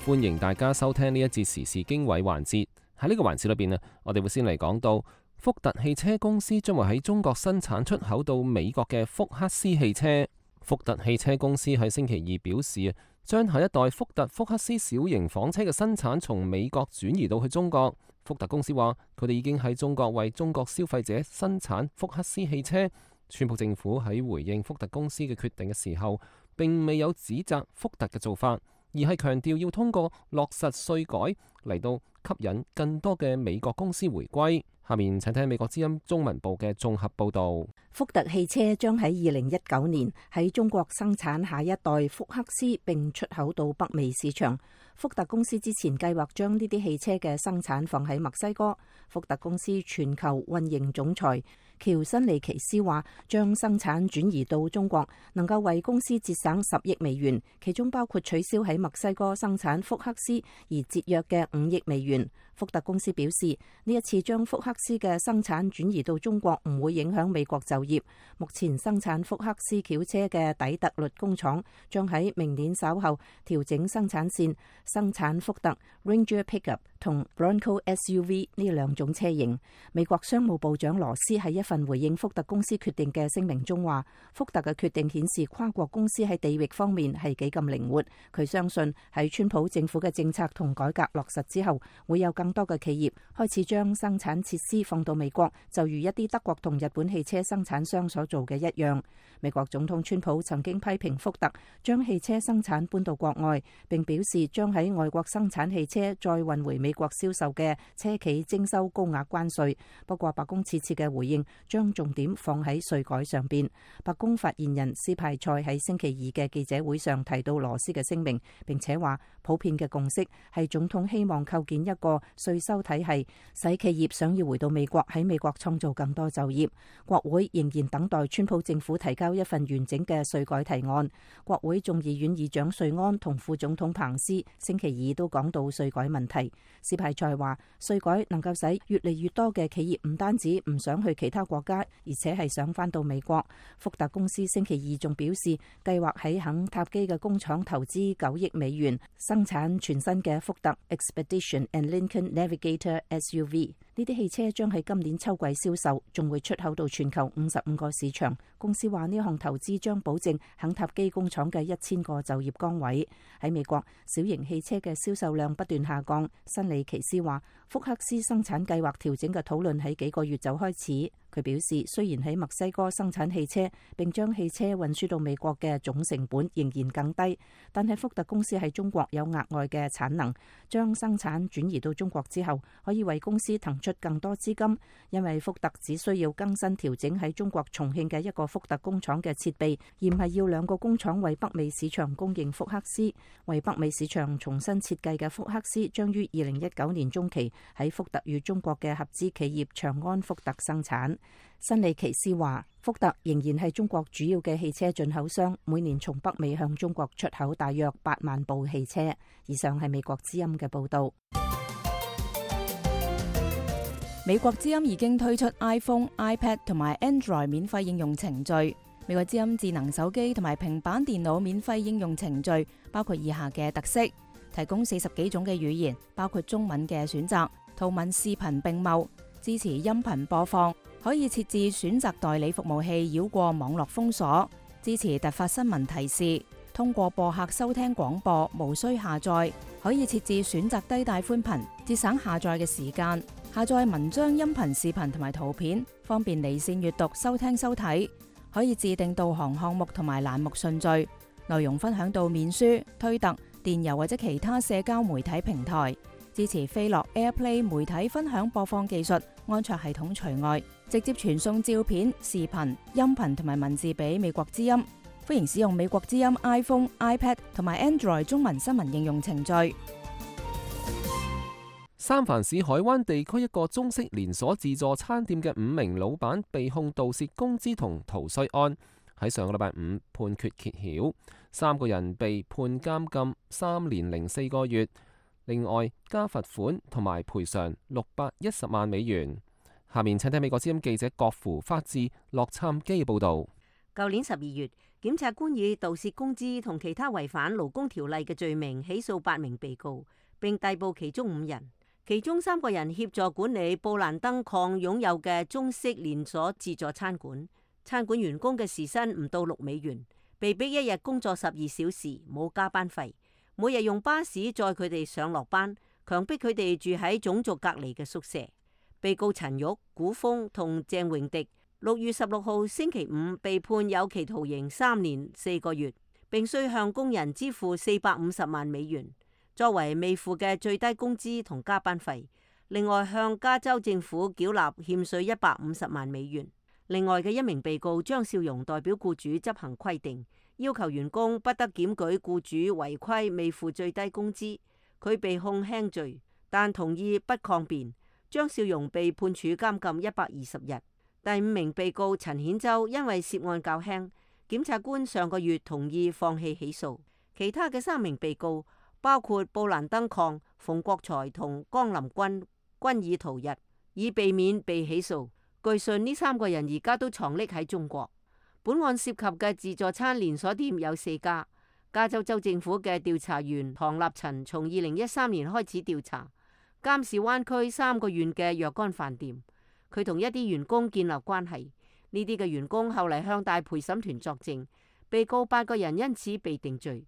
歡迎大家收聽呢一節時事經緯環節。喺呢個環節裏邊啊，我哋會先嚟講到福特汽車公司將會喺中國生產出口到美國嘅福克斯汽車。福特汽車公司喺星期二表示啊，將下一代福特福克斯小型房車嘅生產從美國轉移到去中國。福特公司話，佢哋已經喺中國為中國消費者生產福克斯汽車。川普政府喺回應福特公司嘅決定嘅時候，並未有指責福特嘅做法，而係強調要通過落實稅改嚟到吸引更多嘅美國公司回歸。下面請聽美國之音中文部嘅綜合報導。福特汽車將喺二零一九年喺中國生產下一代福克斯，並出口到北美市場。福特公司之前計劃將呢啲汽車嘅生產放喺墨西哥。福特公司全球運營總裁喬辛尼奇斯話，將生產轉移到中國能夠為公司節省十億美元，其中包括取消喺墨西哥生產福克斯而節約嘅五億美元。福特公司表示，呢一次將福克斯嘅生產轉移到中國唔會影響美國就業。目前生產福克斯轎車嘅底特律工廠將喺明年稍後調整生產線，生產福特 Ranger Pickup 同 Bronco S U V 呢兩種車型。美國商務部長羅斯喺一份回應福特公司決定嘅聲明中話，福特嘅決定顯示跨國公司喺地域方面係幾咁靈活。佢相信喺川普政府嘅政策同改革落實之後，會有更多嘅企業開始將生產設施放到美國，就如一啲德國同日本汽車生產商所做嘅一樣。美國總統川普曾經批評福特將汽車生產搬到國外，並表示將喺外國生產汽車再運回美國銷售嘅車企徵收高額關稅。不過白宮此次嘅回應將重點放喺稅改上邊。白宮發言人斯派塞喺星期二嘅記者會上提到羅斯嘅聲明，並且話普遍嘅共識係總統希望構建一個稅收體系，使企業想要回到美國喺美國創造更多就業。國會仍然等待川普政府提交一份完整嘅稅改提案。國會眾議院議長瑞安同副總統彭斯星期二都講到稅改問題。斯派塞話，稅改能夠使越嚟越多嘅企業唔單止唔想去其他國家，而且係想返到美國。福特公司星期二仲表示，計劃喺肯塔基嘅工廠投資九億美元，生產全新嘅福特 Expedition and Lincoln Navigator S U V。呢啲汽車將喺今年秋季銷售，仲會出口到全球五十五個市場。公司話呢項投資將保證肯塔基工廠嘅一千個就業崗位。喺美國，小型汽車嘅銷售量不斷下降。辛尼奇斯話，福克斯生產計劃調整嘅討論喺幾個月就開始。佢表示，雖然喺墨西哥生產汽車並將汽車運輸到美國嘅總成本仍然更低，但係福特公司喺中國有額外嘅產能，將生產轉移到中國之後，可以為公司騰出更多資金，因為福特只需要更新調整喺中國重慶嘅一個福特工廠嘅設備，而唔係要兩個工廠為北美市場供應福克斯。為北美市場重新設計嘅福克斯將於二零一九年中期喺福特與中國嘅合資企業長安福特生產。辛利奇斯話，福特仍然係中國主要嘅汽車進口商，每年從北美向中國出口大約八萬部汽車。以上係美國之音嘅報道。美國之音已經推出 iPhone、iPad 同埋 Android 免費應用程序。美國之音智能手機同埋平板電腦免費應用程序包括以下嘅特色：提供四十幾種嘅語言，包括中文嘅選擇，圖文視頻並茂，支持音頻播放，可以設置選擇代理服務器繞過網絡封鎖，支持突發新聞提示，通過播客收聽廣播，無需下載，可以設置選擇低帶寬頻，節省下載嘅時間，下載文章、音頻、視頻同埋圖片，方便離線閱讀、收聽收睇，可以自定導航項目同埋欄目順序，內容分享到面書、推特、電郵或者其他社交媒體平台。支持飛樂 AirPlay 媒體分享播放技術，安卓系統除外，直接傳送照片、視頻、音頻同埋文字俾美國之音。歡迎使用美國之音 iPhone、iPad 同埋 Android 中文新聞應用程序。三藩市海灣地區一個中式連鎖自助餐店嘅五名老闆被控盜竊工資同逃稅案，喺上個禮拜五判決揭曉，三個人被判監禁三年零四個月，另外加罰款同埋賠償六百一十萬美元。下面請睇美國之音記者郭芙發自洛杉磯報道。舊年十二月，檢察官以盜竊工資同其他違反勞工條例嘅罪名起訴八名被告，並逮捕其中五人。其中三個人協助管理布蘭登礦擁有嘅中式連鎖自助餐館，餐館員工嘅時薪唔到六美元，被逼一日工作十二小時，冇加班費，每日用巴士載佢哋上落班，強迫佢哋住喺種族隔離嘅宿舍。被告陳玉、古峰同鄭榮迪六月十六號星期五被判有期徒刑三年四個月，並需向工人支付四百五十萬美元，作為未付嘅最低工資同加班費，另外向加州政府繳納欠稅一百五十萬美元。另外嘅一名被告張少榮代表僱主執行規定，要求員工不得檢舉僱主違規未付最低工資。佢被控輕罪，但同意不抗辯。張少榮被判處監禁一百二十日。第五名被告陳顯洲因為涉案較輕，檢察官上個月同意放棄起訴。其他嘅三名被告，包括布蘭登礦、馮國才同江林君，均已逃逸，以避免被起訴。據信呢三個人而家都藏匿喺中國。本案涉及嘅自助餐連鎖店有四家。加州州政府嘅調查員唐立陳從二零一三年開始調查監視灣區三個縣嘅若干飯店，佢同一啲員工建立關係。呢啲嘅員工後嚟向大陪審團作證，被告八個人因此被定罪。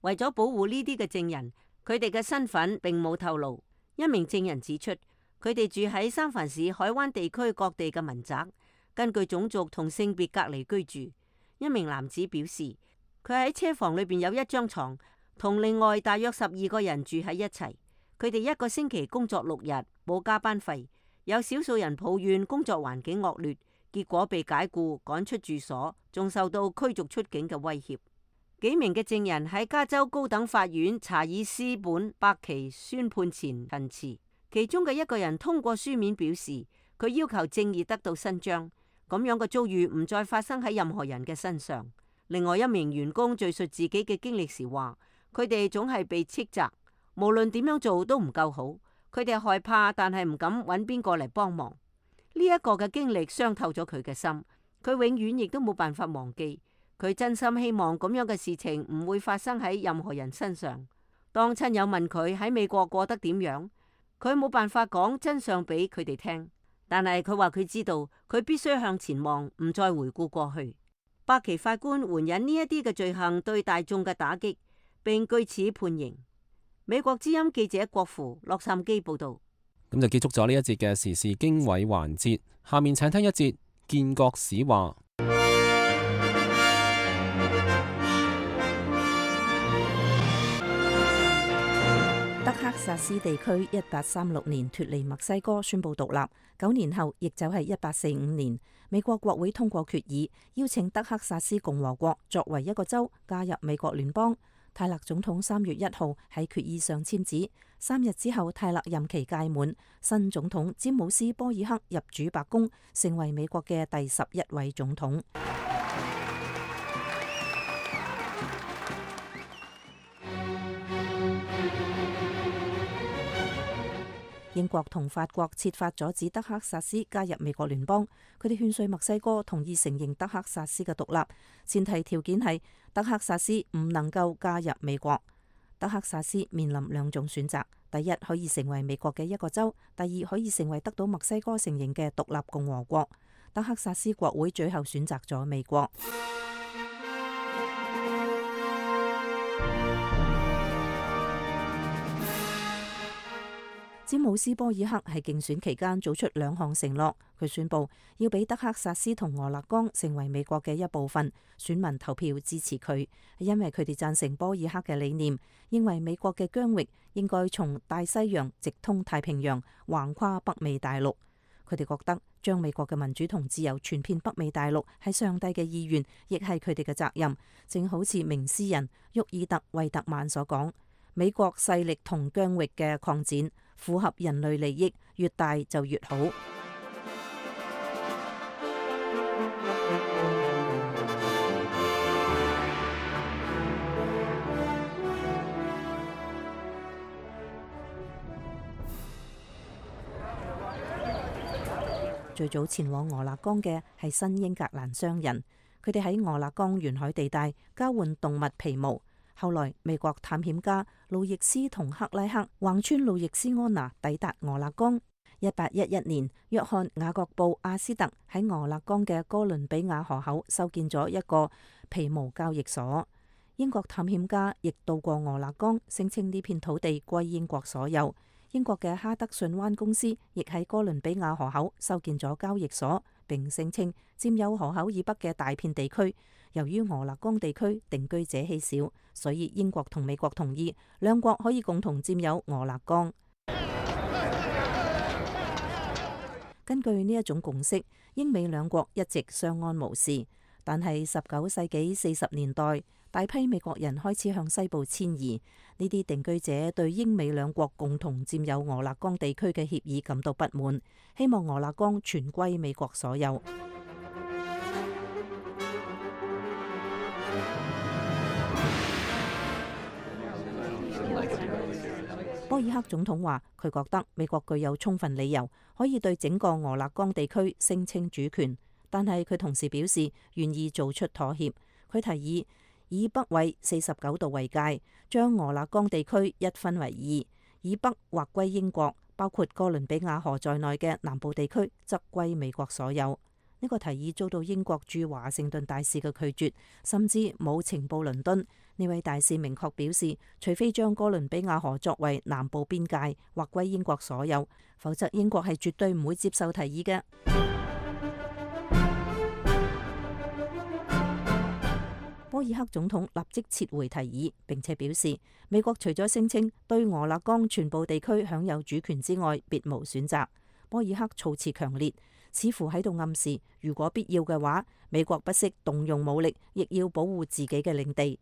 為咗保護呢啲嘅證人，佢哋嘅身份並冇透露。一名證人指出，佢哋住喺三藩市海灣地區各地嘅民宅，根據種族同性別隔離居住。一名男子表示，佢喺車房裏邊有一張床，同另外大約十二個人住喺一齊。佢哋一個星期工作六日，冇加班費。有少數人抱怨工作環境惡劣，結果被解僱、趕出住所，仲受到驅逐出境嘅威脅。幾名嘅證人喺加州高等法院查爾斯本伯奇宣判前陳詞，其中嘅一個人通過書面表示，佢要求正義得到伸張，咁樣嘅遭遇唔再發生喺任何人嘅身上。另外一名員工敘述自己嘅經歷時話，佢哋總係被斥責，無論點樣做都唔夠好，佢哋害怕，但係唔敢揾邊個嚟幫忙。呢一個嘅經歷傷透咗佢嘅心，佢永遠亦都冇辦法忘記。佢真心希望咁樣嘅事情唔會發生喺任何人身上。當親友問佢喺美國過得點樣，佢冇辦法講真相俾佢哋聽，但係佢話佢知道佢必須向前望，唔再回顧過去。伯奇法官援引呢一啲嘅罪行對大眾嘅打擊，並據此判刑。美國之音記者郭芙洛杉磯報道。咁就結束咗呢一節嘅時事經緯環節，下面請聽一節建國史話。德克薩斯地區一八三六年脫離墨西哥，宣布獨立。九年後，亦就係一八四五年，美國國會通過決議，邀請德克薩斯共和國作為一個州加入美國聯邦。泰勒總統三月一號喺決議上簽字，三日之後泰勒任期屆滿，新總統詹姆斯波爾克入主白宮，成為美國嘅第十一位總統。英國同法國設法阻止德克薩斯加入美國聯邦，佢哋勸說墨西哥同意承認德克薩斯嘅獨立，前提條件係德克薩斯唔能夠加入美國。德克薩斯面臨兩種選擇：第一，可以成為美國嘅一個州；第二，可以成為得到墨西哥承認嘅獨立共和國。德克薩斯國會最後選擇咗美國。詹姆斯·波爾克喺競選期間做出兩項承諾，佢宣布要俾德克薩斯同俄勒岡成為美國嘅一部分，選民投票支持佢，因為佢哋贊成波爾克嘅理念，認為美國嘅疆域應該從大西洋直通太平洋，橫跨北美大陸。佢哋覺得將美國嘅民主同自由傳遍北美大陸係上帝嘅意願，亦係佢哋嘅責任。正好似名詩人沃爾特·惠特曼所講，美國勢力同疆域嘅擴展符合人類利益，越大就越好。最早前往俄勒岡嘅係新英格蘭商人，佢哋喺俄勒岡沿海地帶交換動物皮毛。後來美國探險家路易斯同克拉克橫穿路易斯安那抵達俄勒岡。一八一一年，約翰雅各布阿斯特喺俄勒岡嘅哥倫比亞河口修建咗一個皮毛交易所。英國探險家亦到過俄勒岡，聲稱呢片土地歸英國所有。英國嘅哈德遜灣公司亦喺哥倫比亞河口修建咗交易所，並聲稱佔有河口以北嘅大片地區。由於俄勒岡地區定居者稀少，所以英國同美國同意兩國可以共同佔有俄勒岡。根據呢一種共識，英美兩國一直相安無事。但係十九世紀四十年代，大批美國人開始向西部遷移。呢啲定居者對英美兩國共同佔有俄勒岡地區嘅協議感到不滿，希望俄勒岡全歸美國所有。波爾克總統話：佢覺得美國具有充分理由可以對整個俄勒岡地區聲稱主權，但係佢同時表示願意做出妥協。佢提議以北緯四十九度為界，將俄勒岡地區一分為二，以北劃歸英國，包括哥倫比亞河在內嘅南部地區則歸美國所有。呢個提議遭到英國駐華盛頓大使嘅拒絕，甚至冇情報倫敦。呢位大使明確表示，除非將哥倫比亞河作為南部邊界，劃歸英國所有，否則英國係絕對唔會接受提議嘅。波爾克總統立即撤回提議，並且表示美國除咗聲稱對俄勒岡全部地區享有主權之外，別無選擇。波爾克措辭強烈，似乎喺度暗示，如果必要嘅話，美國不惜動用武力，亦要保護自己嘅領地。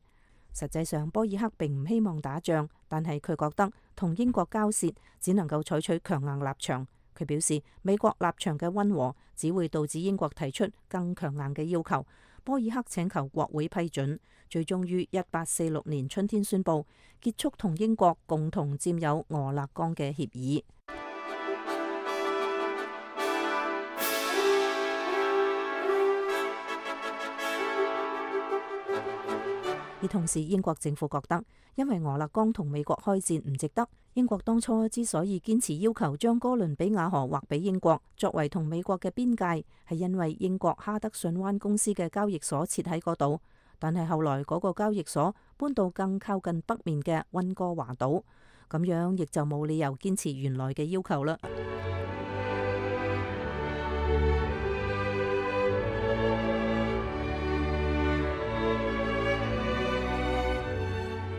實際上，波爾克並唔希望打仗，但係佢覺得同英國交涉只能夠採取強硬立場。佢表示，美國立場嘅溫和只會導致英國提出更強硬嘅要求。波爾克請求國會批准，最終於一八四六年春天宣布結束同英國共同佔有俄勒岡嘅協議。而同時，英國政府覺得，因為俄勒岡同美國開戰唔值得。英國當初之所以堅持要求將哥倫比亞河劃俾英國，作為同美國嘅邊界，係因為英國哈德遜灣公司嘅交易所設喺嗰度。但係後來嗰個交易所搬到更靠近北面嘅溫哥華島，咁樣亦就冇理由堅持原來嘅要求啦。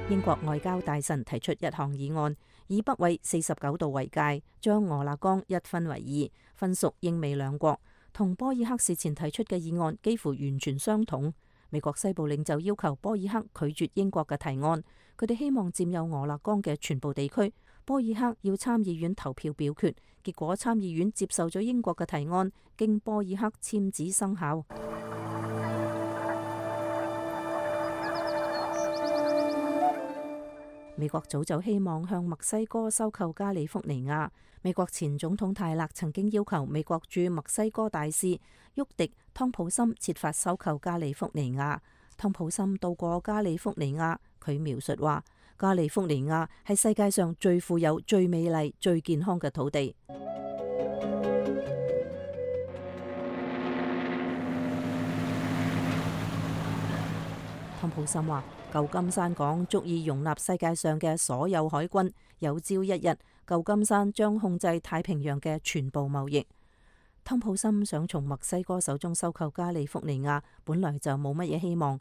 英國外交大臣提出一項議案，以北緯四十九度為界，將俄勒岡一分為二，分屬英美兩國。同波爾克事前提出嘅議案幾乎完全相同。美國西部領袖要求波爾克拒絕英國嘅提案，佢哋希望佔有俄勒岡嘅全部地區。波爾克要參議院投票表決，結果參議院接受咗英國嘅提案，經波爾克簽字生效。美國早就希望向墨西哥收購加利福尼亞。美國前總統泰勒曾經要求美國駐墨西哥大使沃迪湯普森設法收購加利福尼亞。湯普森到過加利福尼亞，佢描述話：加利福尼亞係世界上最富有、最美麗、最健康嘅土地。湯普森話：舊金山港足以容納世界上嘅所有海軍。有朝一日，舊金山將控制太平洋嘅全部貿易。湯普森想從墨西哥手中收購加利福尼亞，本來就冇乜嘢希望。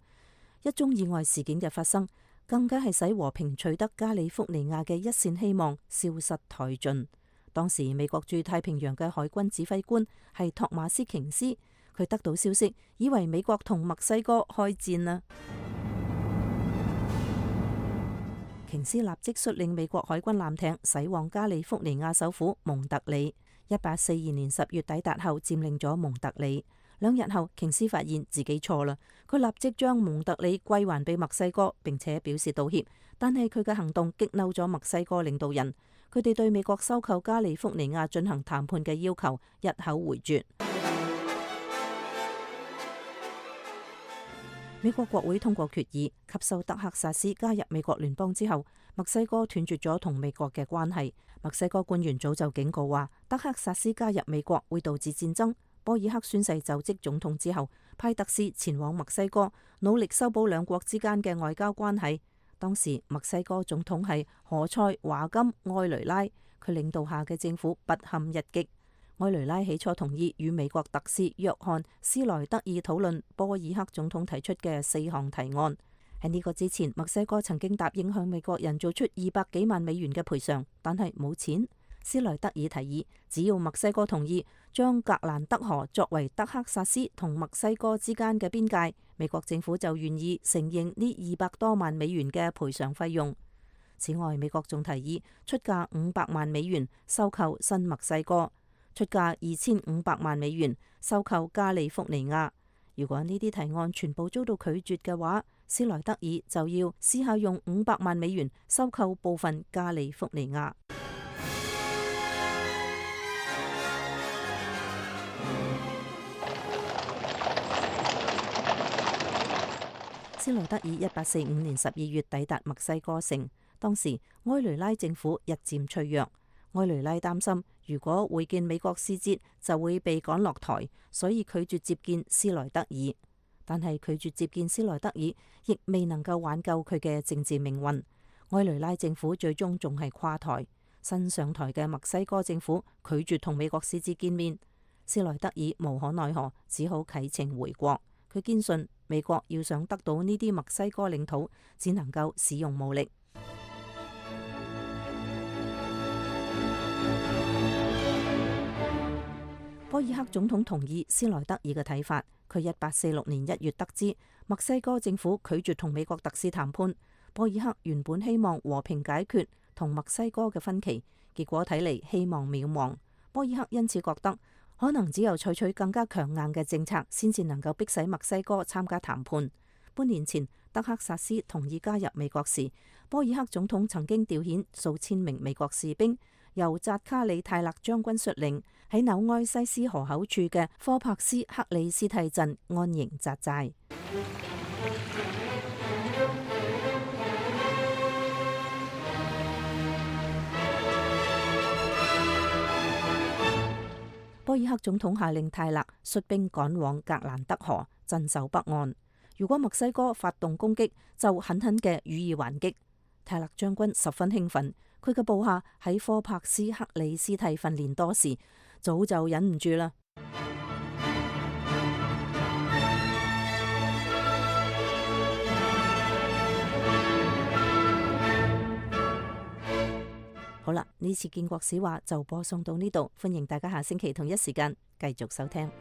一宗意外事件嘅發生，更加係使和平取得加利福尼亞嘅一線希望消失殆盡。當時美國駐太平洋嘅海軍指揮官係托馬斯瓊斯，佢得到消息，以為美國同墨西哥開戰啦。瓊斯立即率領美國海軍艦艇駛往加利福尼亞首府蒙特利。一八四二年十月抵達後，佔領咗蒙特利。兩日後，瓊斯發現自己錯啦，佢立即將蒙特利歸還俾墨西哥，並且表示道歉。但係佢嘅行動激嬲咗墨西哥領導人，佢哋對美國收購加利福尼亞進行談判嘅要求一口回絕。美國國會通過決議，吸收德克薩斯加入美國聯邦之後，墨西哥斷絕咗同美國嘅關係。墨西哥官員早就警告話，德克薩斯加入美國會導致戰爭。波爾克宣誓就職總統之後，派特使前往墨西哥，努力修補兩國之間嘅外交關係。當時墨西哥總統係何塞華金埃雷拉，佢領導下嘅政府不堪一擊。埃雷拉起初同意與美國特使約翰斯萊德爾討論波爾克總統提出嘅四項提案。喺呢個之前，墨西哥曾經答應向美國人做出二百幾萬美元嘅賠償，但係冇錢。斯萊德爾提議，只要墨西哥同意將格蘭德河作為德克薩斯同墨西哥之間嘅邊界，美國政府就願意承認呢二百多萬美元嘅賠償費用。此外，美國仲提議出價五百萬美元收購新墨西哥，出價二千五百萬美元收購加利福尼亞。如果呢啲提案全部遭到拒絕嘅話，斯萊德爾就要試下用五百萬美元收購部分加利福尼亞。斯萊德爾一八四五年十二月抵達墨西哥城，當時埃雷拉政府日漸脆弱，埃雷拉擔心如果會見美國使節就會被趕落台，所以拒絕接見斯萊德爾。但係拒絕接見斯萊德爾，亦未能夠挽救佢嘅政治命運。埃雷拉政府最終仲係垮台，新上台嘅墨西哥政府拒絕同美國使節見面，斯萊德爾無可奈何，只好啟程回國。佢堅信美國要想得到呢啲墨西哥領土，只能夠使用武力。波爾克總統同意斯萊德爾嘅睇法。佢一八四六年一月得知墨西哥政府拒絕同美國特使談判，波爾克原本希望和平解決同墨西哥嘅分歧，結果睇嚟希望渺茫。波爾克因此覺得可能只有採取更加強硬嘅政策，先至能夠迫使墨西哥參加談判。半年前，德克薩斯同意加入美國時，波爾克總統曾經調遣數千名美國士兵，由扎卡里泰勒將軍率領，喺紐埃西斯河口處嘅科柏斯克里斯蒂鎮安營紮寨。波爾克總統下令泰勒率兵趕往格蘭德河，鎮守北岸。如果墨西哥發動攻擊，就狠狠嘅予以還擊。泰勒將軍十分興奮，佢嘅部下喺科柏斯克里斯蒂訓練多時，早就忍唔住啦。好啦，呢次建國史話就播送到呢度，歡迎大家下星期同一時間繼續收聽。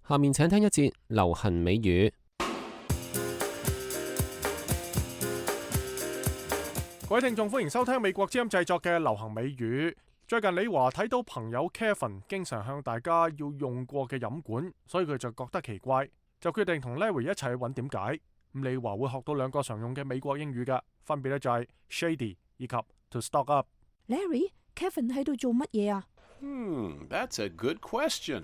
下面請聽一節流行美語。各位聽眾，歡迎收聽美國之音製作嘅流行美語。最近李華睇到朋友 Kevin 經常向大家要用過嘅飲管，所以佢就覺得奇怪，就決定同 Larry 一齊去揾點解。咁李華會學到兩個常用嘅美國英語嘅，分別咧就係 shady 以及 to stock up。Larry，Kevin 喺度做乜嘢啊？Hmm, that's a good question.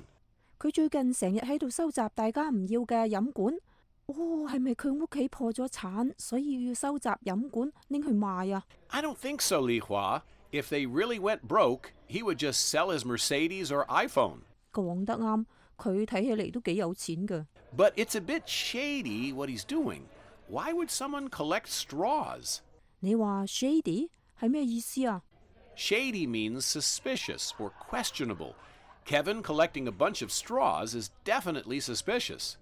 佢最近成日喺度收集大家唔要嘅飲管。哦，係咪佢屋企破咗產，所以要收集飲管拎去賣啊？ I don't think so, Li Hua. If they really went broke, he would just sell his Mercedes or iPhone. 講得啱，佢睇起嚟都幾有錢㗎。But it's a bit shady what he's doing. Why would someone collect straws? 你話 shady 係咩意思啊？ Shady means suspicious or questionable. Kevin collecting a bunch of straws is definitely suspicious.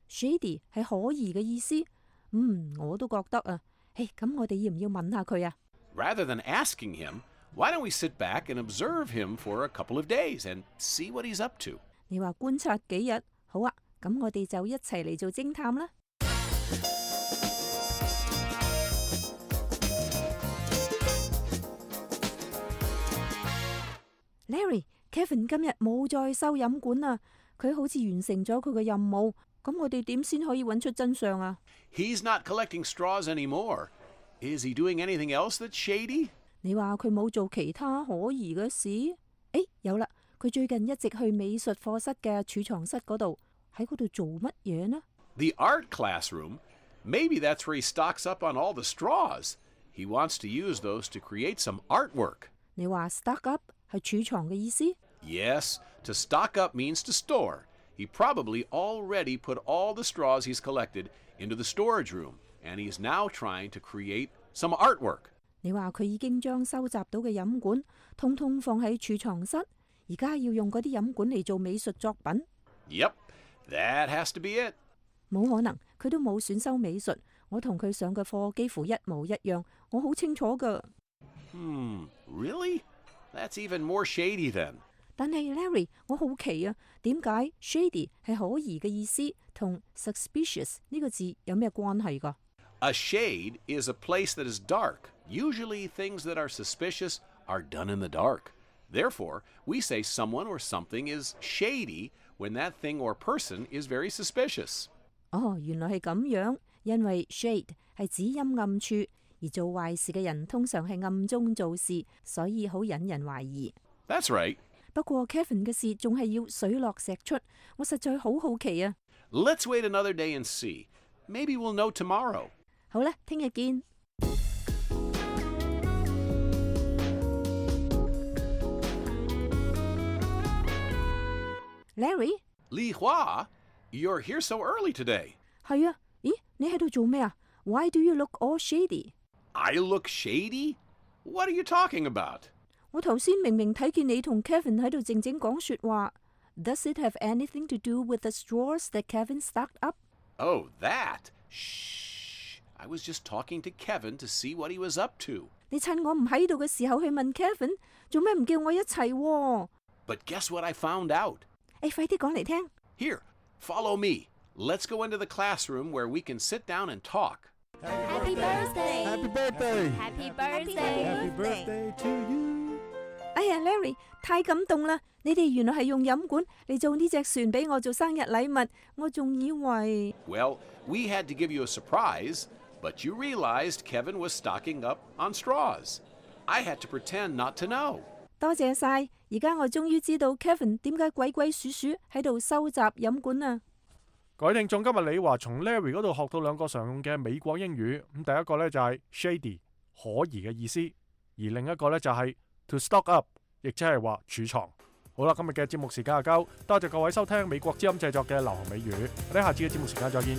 Shady 係可疑嘅意思。嗯，我都覺得啊。誒，咁我哋要唔要問下佢啊？ Rather than asking him, why don't we sit back and observe him for a couple of days and see what he's up to? 你話觀察幾日？好啊，咁我哋就一齊嚟做偵探啦。Larry，Kevin 今日冇再收飲管啊，佢好似完成咗佢嘅任務。咁我哋點先可以揾出真相啊？ He's not collecting straws anymore. Is he doing anything else that's shady? 你話佢冇做其他可疑嘅事？誒，有啦，佢最近一直去美術課室嘅儲藏室嗰度，喺嗰度做乜嘢呢？ The art classroom? Maybe that's where he stocks up on all the straws. He wants to use those to create some artwork. 你話 stock up 係儲藏嘅意思？ Yes, to stock up means to store. He probably already put all the straws he's collected into the storage room, and he's now trying to create some artwork. 你話佢已經將收集到嘅飲管通通放喺儲藏室，而家要用嗰啲飲管嚟做美術作品。 Yep, that has to be it. 冇可能，佢都冇選修美術。我同佢上嘅課幾乎一模一樣，我好清楚㗎。Hmm, really? That's even more shady then. 但係 Larry， 我好奇啊，點解 shady 係可疑嘅意思，同 suspicious 呢個字有咩關係㗎？ A shade is a place that is dark. Usually things that are suspicious are done in the dark. Therefore, we say someone or something is shady when that thing or person is very suspicious. 哦，原來係咁樣，因為 shade 係指陰暗處，而做壞事嘅人通常係暗中做事，所以好引人懷疑。 That's right. 不過 Kevin 嘅事仲係要水落石出，我實在好好奇啊！ Let's wait another day and see. Maybe we'll know tomorrow. 好啦，聽日見。Larry， Li Hua, you're here so early today. 係啊，咦，你喺度做咩啊 ？Why do you look all shady? I look shady? What are you talking about? 我頭先明明睇見你同 Kevin 喺度靜靜講說話。Does it have anything to do with the straws that Kevin stocked up? Oh, that? Shh. I was just talking to Kevin to see what he was up to. 你趁我唔喺度嘅時候去問 Kevin， 做咩唔叫我一齊喎？ But guess what I found out? 誒，快啲講嚟聽。 Here, follow me. Let's go into the classroom where we can sit down and talk. Happy birthday! Happy birthday! Happy birthday! Happy birthday to you! 哎呀 ，Larry， 太感動啦！你哋原來係用飲管嚟做呢隻船俾我做生日禮物，我仲以為。 Well, we had to give you a surprise, but you realized Kevin was stocking up on straws. I had to pretend not to know. 多謝晒，而家我終於知道 Kevin 點解鬼鬼祟祟喺度收集飲管啊！各位聽眾，今日李華從 Larry 嗰度學到兩個常用嘅美國英語。咁第一個呢就係 shady 可疑嘅意思，而另一個呢就係 to stock up， 亦即係話儲藏。好啦，今日嘅節目時間就夠，多謝各位收聽美國之音製作嘅流行美語。我哋下次嘅節目時間再見。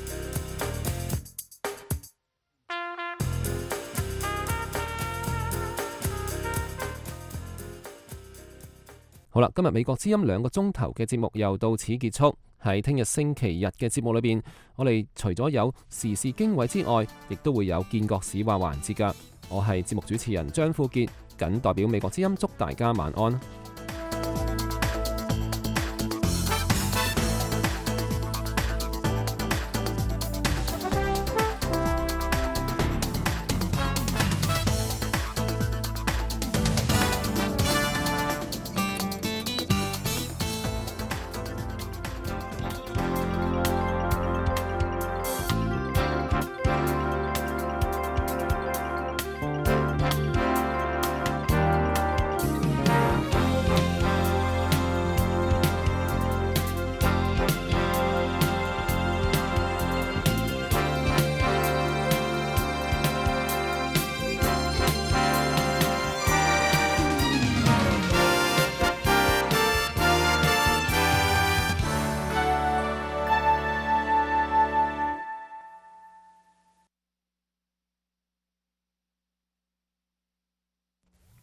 好啦，今日美國之音兩個鐘頭嘅節目又到此結束。喺聽日星期日嘅節目裏邊，我哋除咗有時事經緯之外，亦都會有見國史話環節㗎。我係節目主持人張富傑，謹代表美國之音祝大家晚安。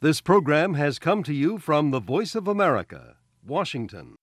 This program has come to you from the Voice of America, Washington.